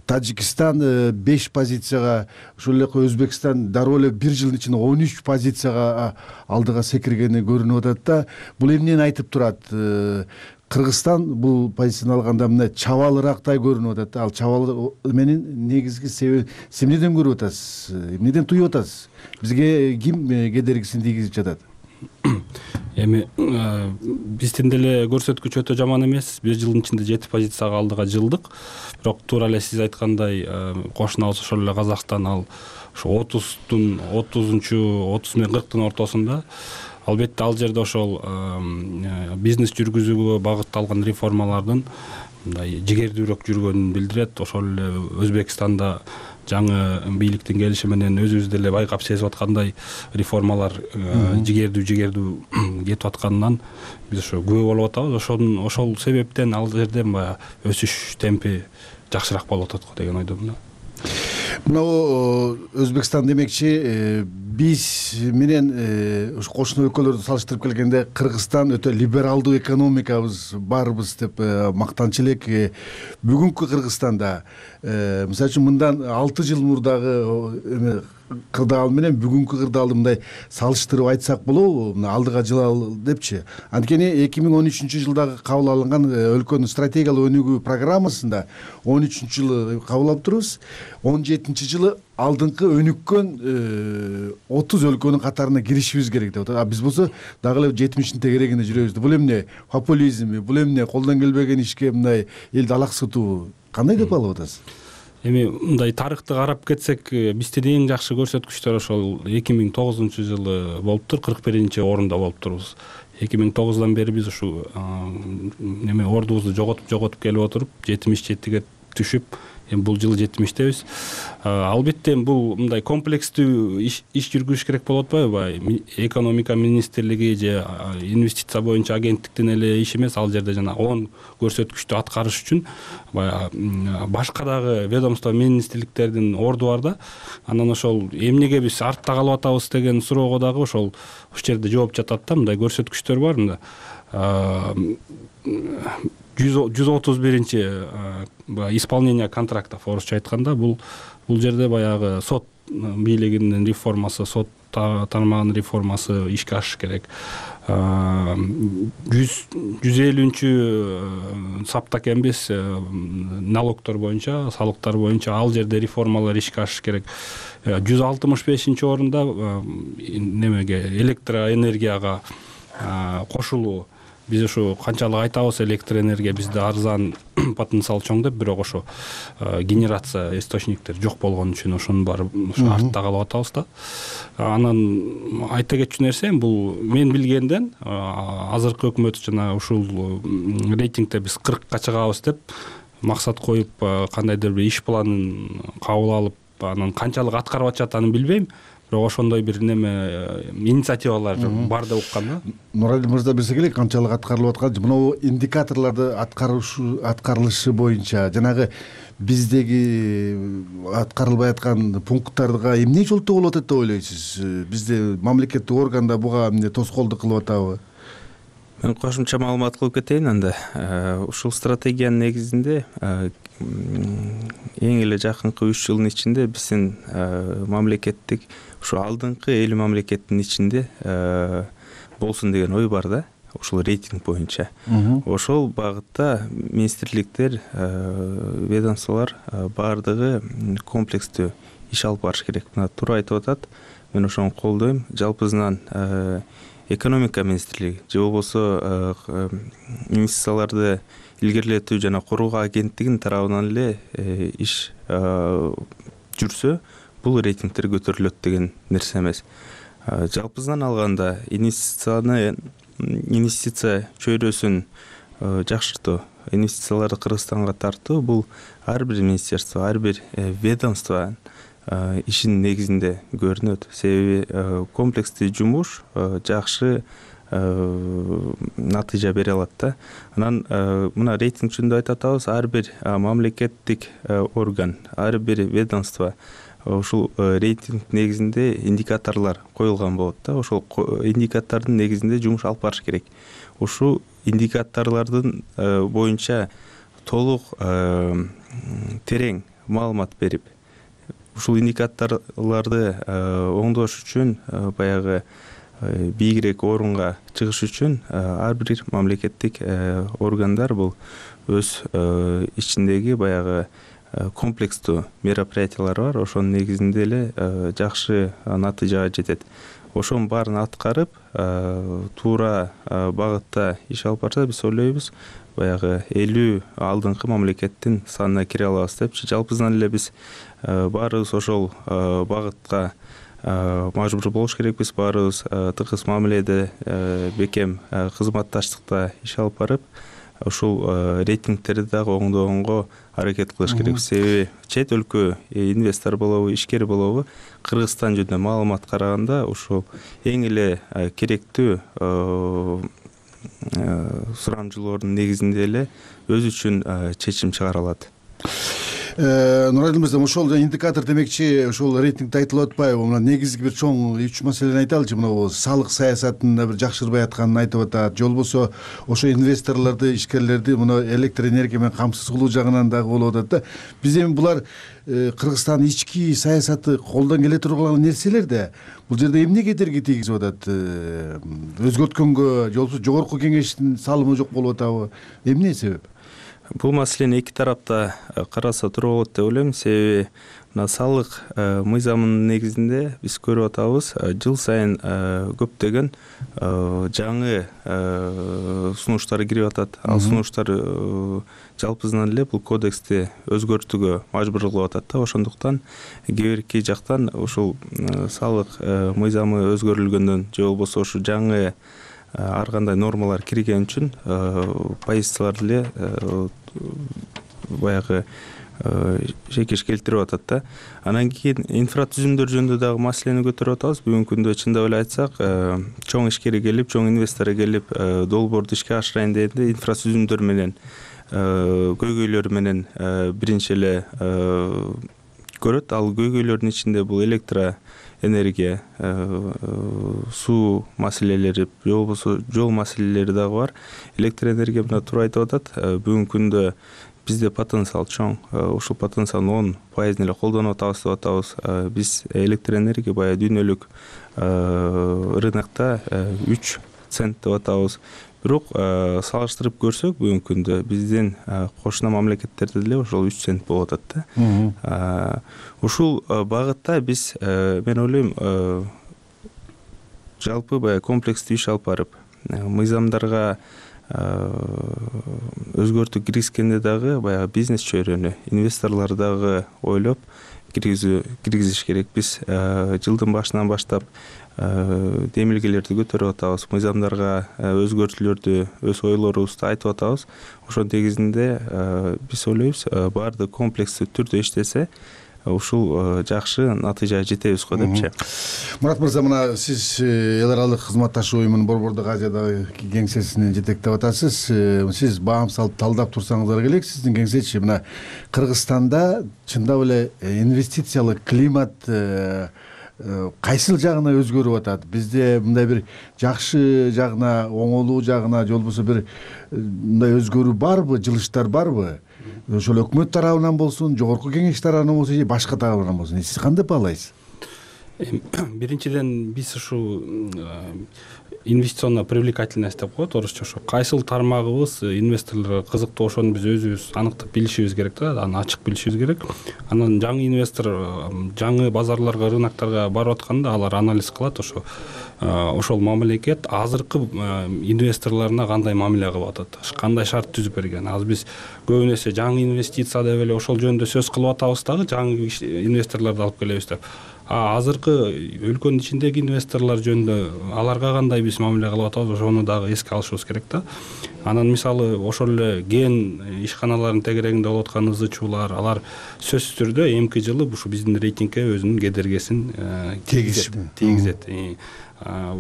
Тажикстан 5 позицияга, ошол эле Өзбекстан дароо эле 1 жылдын ичинде 13 позицияга алдыга секиргени көрүнүп атат да. Бул эмнени айтып турат? Кыргызстан бул позицияны алганда мына чабалыраактай көрүнүп атат да. Ал чабал менин негизги себеби эмнеден көрүп атасыз? Эмнеден туюп атасыз? Бизге ким кедергисин тийгизип жатат? Эми биздин деле көрсөткүч өтө жаман эмес. 1 жылдын ичинде 7 позицияга алдыга жылдык. Бирок туура эле сиз айткандай, кошунабыз ошол эле Казакстан ал ошо 30 менен 40 ортосунда. Албетте ал жерде ошол бизнес жүргүзүүгө багытталган реформалардын мындай жигердүүрөөк жүргөнүн билдирет. Ошол эле Өзбекстанда жаңы бийликтин келиши менен өзүбүз деле байкап сезип аткандай реформалар жигердүү кетип атканынан биз ошо күбө болуп атабыз. Ошол себептен ал жерде баягы өсүш темпи жакшыраак болуп атат го деген ойдомун. Мына Өзбекстан демекчи, биз менен ушу кошуна өлкөлөрдү салыштырып келгенде Кыргызстан өтө либералдуу экономикабыз барбыз деп мактанчу элек. Бүгүнкү Кыргызстанда мисалы үчүн мындан 6 жыл мурдагы кырдаал менен бүгүнкү кырдаалды мындай салыштырып айтсак болобу? Мына алдыга жылалы депчи. Анткени 2013-жылдагы кабыл алынган өлкөнүн стратегиялык өнүгүү программасында 13-жылы кабыл алып турбуз. 17-жылы алдыңкы өнүккөн 30 өлкөнүн катарына киришибиз керек деп атат. Биз болсо дагы эле 70-тин тегерегинде жүрөбүз. Бул эмне? Популизмби? Бул эмне? Колдон келбеген ишке мындай элди алаксытуу? Кандай деп алып атасыз? Эми мындай тарыхты карап кетсек, биздин эң жакшы көрсөткүчтөр ошол 2009-жылы болуптур, 41-чи орунда болуп турбуз. 2009-дан бери биз ушу ордубузду жоготуп келип отуруп 77-ге түшүп, эми бул жылы 70-тебиз. Албетте бул мындай комплекстүү иш жүргүзүш керек болуп атпайбы? Экономика министрлиги же инвестиция боюнча агенттиктин эле иши эмес, ал жерде жана 10 көрсөткүчтү аткарыш үчүн башка дагы ведомство министрликтердин орду бар да. Анан ошол эмнеге биз артта калып атабыз деген суроого дагы ошол жерде жооп жатат да. Мындай көрсөткүчтөр бар. Мында 131-чи исполнение контрактов орусча айтканда, бул жерде баягы сот бийлигинин реформасы, сот тармагынын реформасы ишке ашыш керек. 150-чү саптак эмес налогтор боюнча, салыктар боюнча ал жерде реформалар ишке ашыш керек. 165-чи орунда немеге электроэнергияга кошулуу. Биз ошо канчалык айтабыз, электроэнергия бизде арзан, потенциал чоң деп, бирок ошо генерация источниктер жок болгон үчүн ошонун баары артта калып атабыз да. Анан айта кетчү нерсе, бул мен билгенден азыркы өкмөт жана ушул рейтингде биз 40-ка чыгабыз деп максат коюп, кандайдыр бир иш планын кабыл алып, анан канчалык аткарып атышат аны билбейм. Бирок ошондой бир инициативалар бар деп уккам да. Нуралий мырза билсе керек, канчалык аткарылып аткан, мына индикаторлорду аткарылышы боюнча жанагы биздеги аткарылбай аткан пункттарга эмне жолтоо болуп атат деп ойлойсуз? Бизде мамлекеттик органда буга эмне тоскоолдук кылып атабы? Мен кошумча маалымат кылып кетейин анда. Ушул стратегиянын негизинде эң эле жакынкы 3 жылдын ичинде биздин мамлекеттик ушу алдыңкы 50 мамлекеттин ичинде болсун деген ой бар да, ушул рейтинг боюнча. Ошол багытта министрликтер, ведомстволор баардыгы комплекстүү иш алып барыш керек. Мына туура айтып атат. Мен ошону колдойм. Жалпысынан экономика министрлиги же болбосо инвестицияларды илгерилетүү жана коргоо агенттигинин тарабынан эле иш жүрсө, бул рейтингтер көтөрүлөт деген нерсе эмес. Жалпысынан алганда инвестиция чөйрөсүн жакшыртуу, инвестицияларды Кыргызстанга тартуу бул ар бир министерство, ар бир ведомство ишинин негизинде көрүнөт. Себеби комплекстүү жумуш жакшы натыйжа бере алат да. Анан мына рейтинг жөнүндө айтып атабыз, ар бир мамлекеттик орган, ар бир ведомство ушул рейтинг негизинде индикаторлор коюлган болот да. Ошол индикатордун негизинде жумуш алып барыш керек. Ушул индикаторлордун боюнча толук терең маалымат берип, ушул индикаторлорду оңдош үчүн баягы бийигирээк орунга чыгыш үчүн ар бир мамлекеттик органдар бул өз ичиндеги баягы комплекстүү мероприятиялар бар. Ошонун негизинде эле жакшы натыйжага жетет. Ошонун баарын аткарып, туура багытта иш алып барса, биз ойлойбуз, баягы 50 алдыңкы мамлекеттин санына кире алабыз депчи. Жалпысынан эле биз баарыбыз ошол багытка мажбур болуш керекпиз. Баарыбыз тыгыз мамиледе, бекем кызматташтыкта иш алып барып, ушул рейтингтерди дагы оңдогонго аракет кылыш керекпиз. Себеби чет өлкө инвестор болобу, ишкер болобу, Кыргызстан жөнүндө маалымат караганда ушул эң эле керектүү сурамжылоордун негизинде эле өзү үчүн чечим чыгара алат. Нурайдыл мырза, ошол индикатор демекчи, ошол рейтингде айтылып атпайбы? Мына негизги бир чоң 3 маселени айталычы. Мына салык саясатында бир жакшырбай атканын айтып атат. Же болбосо ошо инвесторлорду, ишкерлерди мына электр энергия менен камсыз кылуу жагынан дагы болуп атат да. Биз эми булар Кыргызстандын ички саясаты колдон келе турган нерселер да. Бул жерде эмне кедерги тийгизип атат? Өзгөрткөнгө, же болбосо жогорку кеңештин салымы жок болуп атабы? Эмне себеп? Бул маселени эки тарапта караса туруу болот деп ойлойм. Себеби мына салык мыйзамынын негизинде биз көрүп атабыз, жыл сайын көптөгөн жаңы сунуштар кирип атат. Ал сунуштар жалпысынан эле бул кодексти өзгөртүүгө мажбур кылып атат да. Ошондуктан кээ бирки жактан ушул салык мыйзамы өзгөрүлгөндөн же болбосо ушу жаңы ар кандай нормалар кирген үчүн позицияларды эле баягы шекеш келтирип атат да. Анан кийин инфратүзүмдөр жөнүндө дагы маселени көтөрүп атабыз. Бүгүнкү күндө чындап эле айтсак, чоң ишкер келип, чоң инвестор келип, долбоорду ишке ашырайын дегенде инфратүзүмдөр менен, көйгөйлөр менен биринчи эле көрөт. Ал көйгөйлөрдүн ичинде бул электроэнергия, суу маселелери, же болбосо жол маселелери дагы бар. Электроэнергия мына туура айтып атат. Бүгүнкү күндө бизде потенциал чоң. Ушул потенциалдын 10% эле колдонуп атабыз деп атабыз. Биз электроэнергия баягы дүйнөлүк рынокто 3 цент деп атабыз. Бирок салыштырып көрсөк, бүгүнкү күндө биздин кошуна мамлекеттерде деле ошол 3 цент болуп атат да. Ушул багытта биз, мен ойлойм, жалпы баягы комплекстүү иш алып барып, мыйзамдарга өзгөртүү киргизгенде дагы баягы бизнес чөйрөнү, инвесторлор дагы ойлоп киргизиш керек. Биз жылдын башынан баштап демилгелерди көтөрүп атабыз, мыйзамдарга өзгөртүүлөрдү, өз ойлорубузду айтып атабыз. Ошонун негизинде биз ойлойбуз, баардык комплекстүү түрдө иштесе, ушул жакшы натыйжага жетебиз го депчи. Мурат мырза, мына сиз эл аралык кызматташуу уюмунун Борбордук Азиядагы кеңсесин жетектеп атасыз. Сиз баам салып талдап турсаңыздар келек, сиздин кеңсечи мына Кыргызстанда чындап эле инвестициялык климат кайсыл жагына өзгөрүп атат? Бизде мындай бир жакшы жагына, оңолуу жагына, же болбосо бир мындай өзгөрүү барбы, жылыштар барбы? Ошол өкмөт тарабынан болсун, жогорку кеңеш тарабынан болсун, же башка тарабынан болсун, сиз кандай баалайсыз? Биринчиден биз ушу инвестиционная привлекательность деп коет орусча, ошо кайсыл тармагыбыз инвесторлорго кызыктуу, ошону биз өзүбүз аныктап билишибиз керек да, аны ачык билишибиз керек. Анан жаңы инвестор жаңы базарларга, рыноктарга барып атканда алар анализ кылат, ошол мамлекет азыркы инвесторлоруна кандай мамиле кылып атат, кандай шарт түзүп берген. Азыр биз көбүн эсе жаңы инвестиция деп эле ошол жөнүндө сөз кылып атабыз дагы, жаңы инвесторлорду алып келебиз деп. азыркы өлкөнүн ичиндеги инвесторлор жөнүндө аларга кандай биз мамиле кылып атабыз, ошону дагы эске алышыбыз керек да. Анан мисалы ошол эле ген ишканаларынын тегерегинде болуп аткан ызычуулар, алар сөзсүз түрдө эмки жылы ушу биздин рейтингке өзүнүн кедергисин тийгизет.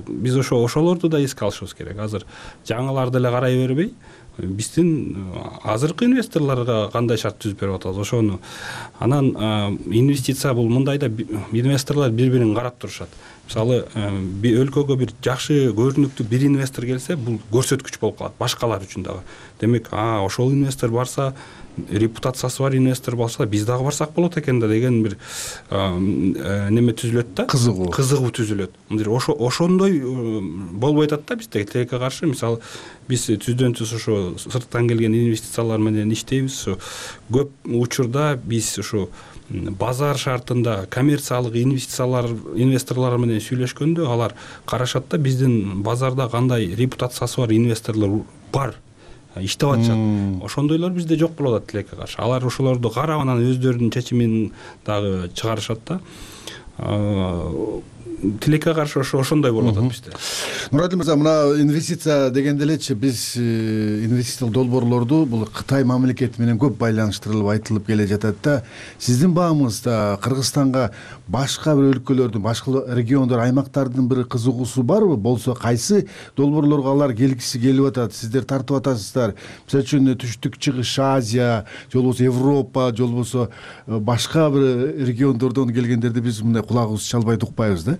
Биз ошолорду да эске алышыбыз керек. Азыр жаңыларды эле карай бербей, биздин азыркы инвесторлорго кандай шарт түзүп берип атабыз, ошону. Анан инвестиция бул мындай да, инвесторлор бири-бирин карап турушат. Мисалы өлкөгө бир жакшы көрүнүктүү бир инвестор келсе, бул көрсөткүч болуп калат башкалар үчүн дагы. Демек, ошол инвестор барса, репутациясы бар инвестор болсо, биз дагы барсак болот экен да деген бир неме түзүлөт да, кызыгуу түзүлөт. Ошондой болбой атат да бизде тилекке каршы. Мисалы биз түздөн түз ошо сырттан келген инвестициялар менен иштейбиз. Көп учурда биз ушу базар шартында коммерциялык инвесторлор менен сүйлөшкөндө, алар карашат да биздин базарда кандай репутациясы бар инвесторлор бар, иштеп атышат. Ошондойлор бизде жок болуп атат тилекке каршы. Алар ошолорду карап, анан өздөрүнүн чечимин дагы чыгарышат да. Тилекке каршы ошондой болуп атат бизде. Нурадил мырза, мына инвестиция дегенде элечи биз инвестициялык долбоорлорду бул Кытай мамлекети менен көп байланыштырылып айтылып келе жатат да. Сиздин баамыңызда Кыргызстанга башка бир өлкөлөрдүн, башка региондор, аймактардын бир кызыгуусу барбы? Болсо кайсы долбоорлорго алар келгиси келип атат? Сиздер тартып атасыздар? Мисалы үчүн Түштүк Чыгыш Азия, же болбосо Европа, же болбосо башка бир региондордон келгендерди биз мындай кулагыбызды чалбай укпайбыз да.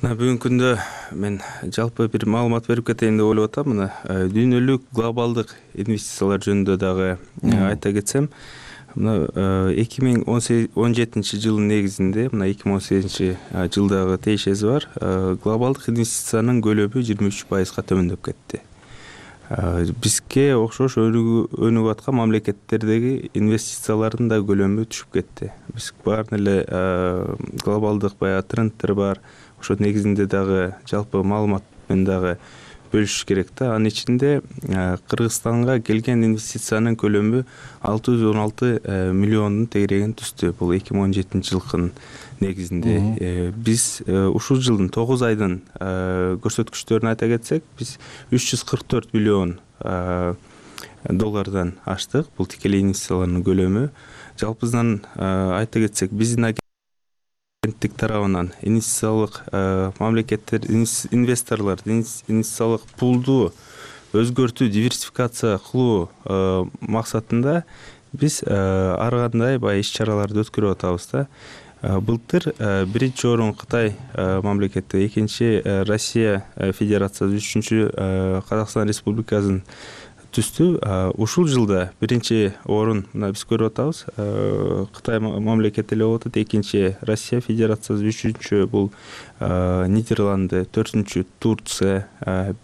Бүгүнкү күндө мен жалпы бир маалымат берип кетейин деп ойлоп атам. Мына дүйнөлүк глобалдык инвестициялар жөнүндө дагы айта кетсем, мына 2017 жылдын негизинде, мына 2018 жылдагы тиешеси бар, глобалдык инвестициянын көлөмү 23%га төмөндөп кетти. Бизге окшош өнүгүп аткан мамлекеттердеги инвестициялардын да көлөмү түшүп кетти. Биз баарын эле глобалдык баягы трендтер бар. Ошо негизинде дагы жалпы маалымат менен дагы бөлүшүш керек да. Анын ичинде Кыргызстанга келген инвестициянын көлөмү 616 миллиондун тегерегин түздү. Бул 2017 жылкынын негизинде. Биз ушул жылдын 9 айдын көрсөткүчтөрүн айта кетсек, биз 344 миллион доллардан аштык. Бул тикелей инвестициялардын көлөмү. Жалпысынан айта кетсек, биздин агенттик тарабынан инвестициялык мамлекеттер, инвесторлор инвестициялык пулду өзгөртүү, диверсификация кылуу максатында биз ар кандай баягы иш-чараларды өткөрүп атабыз да. Былтыр биринчи орун Кытай мамлекети, экинчи Россия Федерациясы, үчүнчү Казакстан Республикасын түздү. Ушул жылда биринчи орун мына биз көрүп атабыз. Кытай мамлекети эле болуп атат, экинчи Россия Федерациясы, үчүнчү бул Нидерланды, төртүнчү Турция,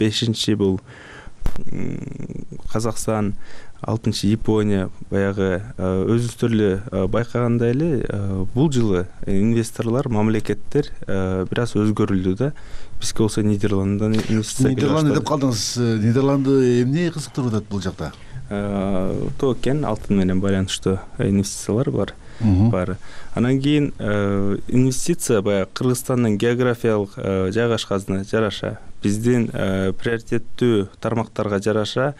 бешинчи бул Казакстан, алтынчы Япония. Баягы өзүңүздөр эле байкагандай эле бул жылы инвесторлор, мамлекеттер бир аз өзгөрүлдү да. Бизге болсо Нидерланддан инвестиция келип баштады. Нидерланды деп калдыңыз. Нидерланды эмне кызыктырып атат бул жакта? Токен, алтын менен байланыштуу инвестициялар бар. Анан кийин инвестиция баягы Кыргызстандын географиялык жайгашканына жараша, биздин приоритеттүү тармактарга жараша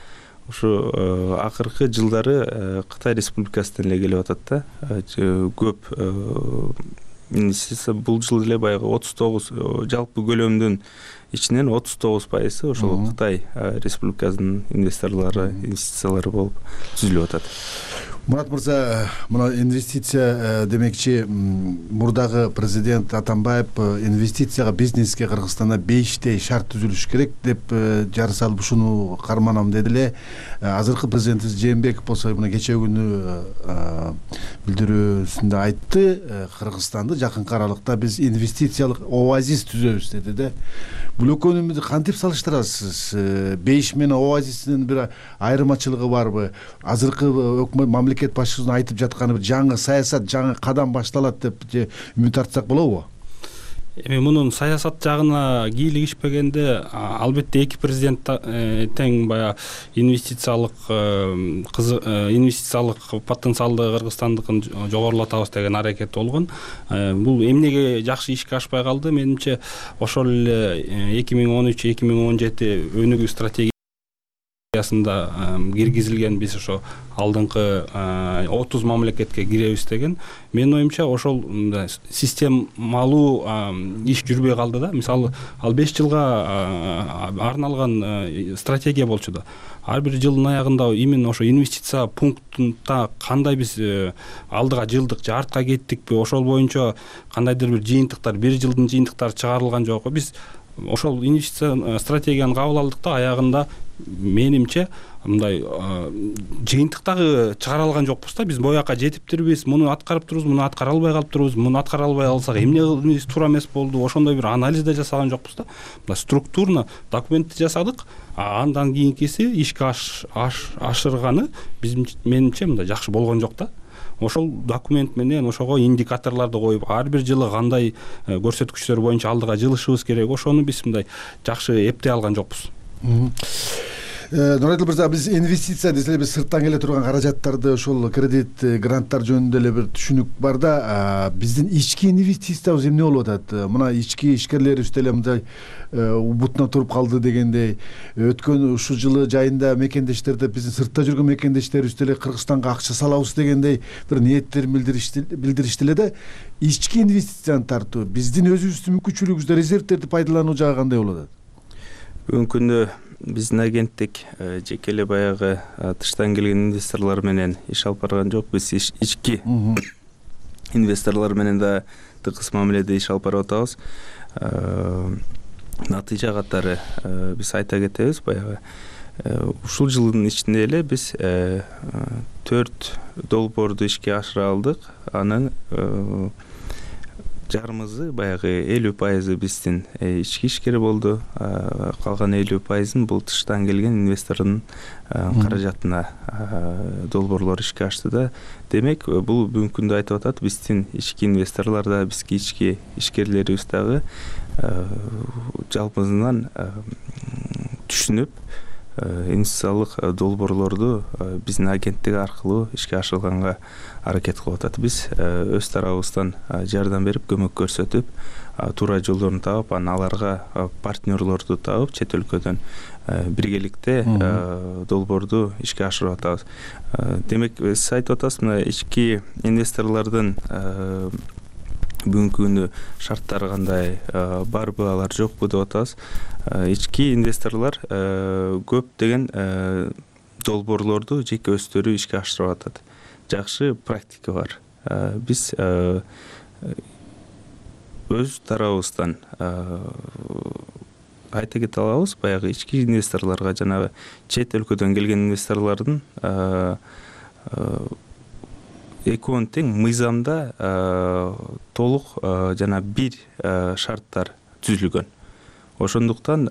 ушу акыркы жылдары Кытай Республикасынан эле келип атат да. Көп инвестиция бул жыл эле баягы 39 жалпы көлөмдүн ичинен 39% ошол Кытай Республикасынын инвестициялары болуп түзүлүп атат. Мурат мырза, мына инвестиция демекчи мурдагы президент Атамбаев инвестицияга, бизнеске Кыргызстанда 5 шарт түзүлүш керек деп жар салып ушуну карманам деди эле. Азыркы президентибиз Жээнбеков болсо мына кечээ күнү билдирүүсүндө айтты, Кыргызстанды жакынкы аралыкта биз инвестициялык оазис түзөбүз деди да. Бул экөөнү кантип салыштырасыз? 5 менен оазистин бир айырмачылыгы барбы? Азыркы өкмөт мамлекет башчысынын айтып жатканы бир жаңы саясат, жаңы кадам башталат деп үмүт артсак болобу? Эми мунун саясат жагына кийлигишпегенде албетте эки президент тең баягы инвестициялык потенциалды Кыргызстандыкын жогорулатабыз деген аракет болгон. Бул эмнеге жакшы ишке ашпай калды? Менимче ошол эле 2013-2017 өнүгүү стратегиясында киргизилген биз ошо алдыңкы 30 мамлекетке киребиз деген. Менин оюмча ошол системалуу иш жүрбөй калды да. Мисалы, ал 5 жылга арналган стратегия болчу да. Ар бир жылдын аягында именно ошо инвестиция пунктунда кандай биз алдыга жылдык же артка кеттикпи, ошол боюнча кандайдыр бир жыйынтыктар, бир жылдын жыйынтыктары чыгарылган жокпу. Биз ошол инвестиция стратегияны кабыл алдык да, аягында менимче мындай жыйынтыктагы чыгара алган жокпуз да. Биз бояка жетиптирбиз, муну аткарып турубуз, муну аткара албай калыптырбыз, муну аткара албай калсак эмне туура эмес болду, ошондой бир анализ да жасаган жокпуз да. Мындай структурно документти жасадык, андан кийинкиси ишке ашырганы менимче мындай жакшы болгон жок да. Ошол документ менен ошого индикаторлорду коюп, ар бир жылы кандай көрсөткүчтөр боюнча алдыга жылышыбыз керек, ошону биз мындай жакшы эптей алган жокпуз. Нурадил мырза, биз инвестиция десе биз сырттан келе турган каражаттарды, ошол кредит, гранттар жөнүндө эле бир түшүнүк бар да. Биздин ички инвестициябыз эмне болуп атат? Мына ички ишкерлерибиз деле мындай убутуна туруп калды дегендей, өткөн ушул жылы жайында мекендештерде биздин сыртта жүргөн мекендештерибиз деле Кыргызстанга акча салабыз дегендей бир ниеттерин билдиришти эле да. Ички инвестицияны тартуу, биздин өзүбүздүн мүмкүнчүлүгүбүздө резервтерди пайдалануу жагы кандай болуп атат? Бүгүнкү күндө биздин агенттик жеке эле баягы тыштан келген инвесторлор менен иш алып барган жок. Биз ички инвесторлор менен да тыгыз мамиледе иш алып барып атабыз. Натыйжа катары биз айта кетебиз, баягы ушул жылдын ичинде эле биз 4 долбоорду ишке ашыра алдык. Анын жарымызы баягы 50% биздин ички ишкер болду. Калган 50%ын бул тыштан келген инвестордун каражатына долбоорлор ишке ашты да. Демек, бул бүгүнкү күндө айтып атат, биздин ички инвесторлор да, бизги ички ишкерлерибиз дагы жалпысынан түшүнүп, инвестициялык долбоорлорду биздин агенттик аркылуу ишке ашырганга аракет кылып атат. Биз өз тарабыбыздан жардам берип, көмөк көрсөтүп, туура жолдорун таап, анан аларга партнерлорду таап, чет өлкөдөн биргеликте долбоорду ишке ашырып атабыз. Демек, сиз айтып атасыз, мына ички инвесторлордун бүгүнкү күндө шарттары кандай, барбы, алар жокпу деп атабыз. Ички инвесторлор көптөгөн долбоорлорду жеке өздөрү ишке ашырып атат. Жакшы практика бар. Биз өз тарабыбыздан айта кете алабыз, баягы ички инвесторлорго, жанагы чет өлкөдөн келген инвесторлордун экөөнүн тең мыйзамда толук жана бир шарттар түзүлгөн. Ошондуктан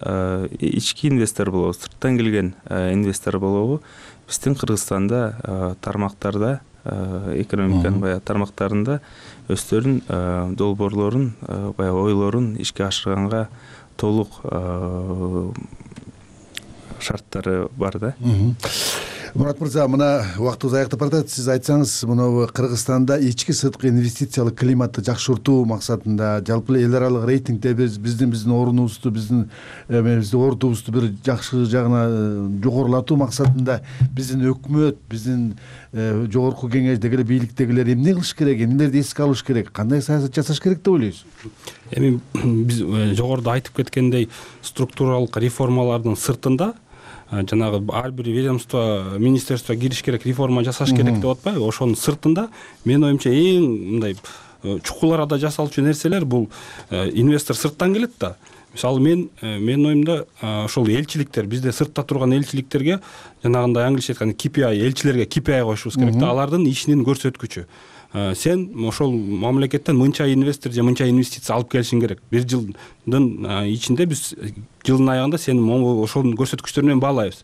ички инвестор болобу, сырттан келген инвестор болобу, биздин Кыргызстанда тармактарда, экономиканын баягы тармактарында өздөрүнүн долбоорлорун, баягы ойлорун ишке ашырганга толук шарттары бар да. Мурат мырза, мына убактыбыз аяктап баратат. Сиз айтсаңыз, мына Кыргызстанда ички сырткы инвестициялык климатты жакшыртуу максатында, жалпы эл аралык рейтингде биздин орунубузду, биздин ордубузду бир жакшы жагына жогорулатуу максатында биздин өкмөт, биздин жогорку кеңештеги эле бийликтегилер эмне кылыш керек, эмнелерди эске алыш керек, кандай саясат жасаш керек деп ойлойсуз? Эми биз жогоруда айтып кеткендей, структуралык реформалардын сыртында жанагы ар бир ведомство, министерство кириш керек, реформа жасаш керек деп атпайбы? Ошонун сыртында менин оюмча эң мындай чукул арада жасалчу нерселер бул инвестор сырттан келет да. Мисалы менин оюмда ошол элчиликтер, бизде сыртта турган элчиликтерге жанагындай англисче айтканда KPI, элчилерге KPI коюшубуз керек да, алардын ишинин көрсөткүчү. Сен ошол мамлекеттен мынча инвестор же мынча инвестиция алып келишиң керек. Бир жылдын ичинде биз жылдын аягында сени ошонун көрсөткүчтөрү менен баалайбыз.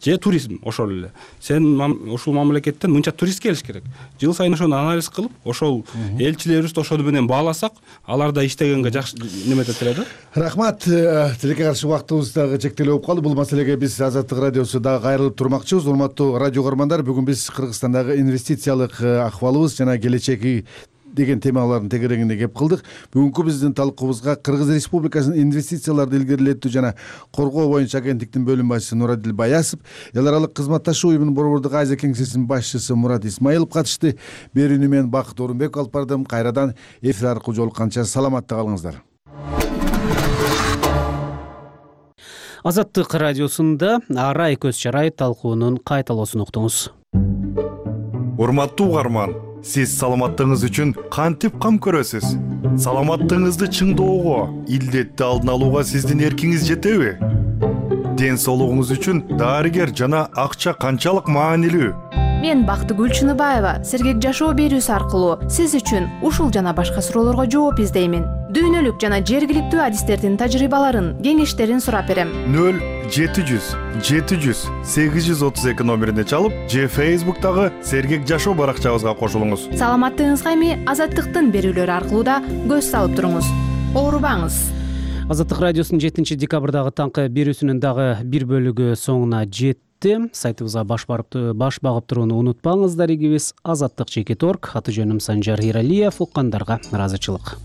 Же туризм ошол эле. Сен ушул мамлекеттен мынча турист келиш керек. Жыл сайын ошону анализ кылып, ошол элчилерибизди ошол менен бааласак, алар да иштегенге жакшы неметет эле да. Рахмат. Тилекке каршы убактыбыз дагы чектелип болуп калды. Бул маселеге биз Азаттык радиосу дагы кайрылып турмакчыбыз. Урматтуу радио көрөрмандар, бүгүн биз Кыргызстандагы инвестициялык акыбалыбыз жана келечеги деген темалардын тегерегине кеп кылдык. Бүгүнкү биздин талкуубузга Кыргыз Республикасынын инвестицияларды илгерилетүү жана коргоо боюнча агенттиктин бөлүм башчысы Нурадил Баясов, эл аралык кызматташуу уюмунун Борбордук Азия кеңсесинин башчысы Мурат Исмаилов катышты. Берүүнү мен Бакыт Орунбек алып бардым. Кайрадан эфир аркылуу жолукканча саламатта калыңыздар. Азаттык радиосунда арай көз чарай талкуунун кайталоосун уктуңуз. Урматтуу угарман, сиз саламаттыгыңыз үчүн кантип кам көрөсүз? Саламаттыгыңызды чыңдоого, илдетти алдын алууга сиздин эркиңиз жетеби? Ден соолугуңуз үчүн дарыгер жана акча канчалык маанилүү? Мен Бактыгүл Чыныбаева сергек жашоо берүүсү аркылуу сиз үчүн ушул жана башка суроолорго жооп издеймин. Дүйнөлүк жана жергиликтүү адистердин тажрыйбаларын, кеңештерин сурап берем. 0700 700 832 номерине чалып, же Facebook'тагы сергек жашоо баракчабызга кошулуңуз. Саламаттыгыңызга эми Азаттыктын берүүлөрү аркылуу да көз салып туруңуз. Оорубаңыз. Азаттык радиосунун 7 декабрдагы таңкы берүүсүнүн дагы бир бөлүгү соңуна жетти. Сайтыбызга баш багып турууну унутпаңыздар. Игибиз azаттык.org. Аты жөнүм Санжар Иралиев. Уккандарга ыраазычылык.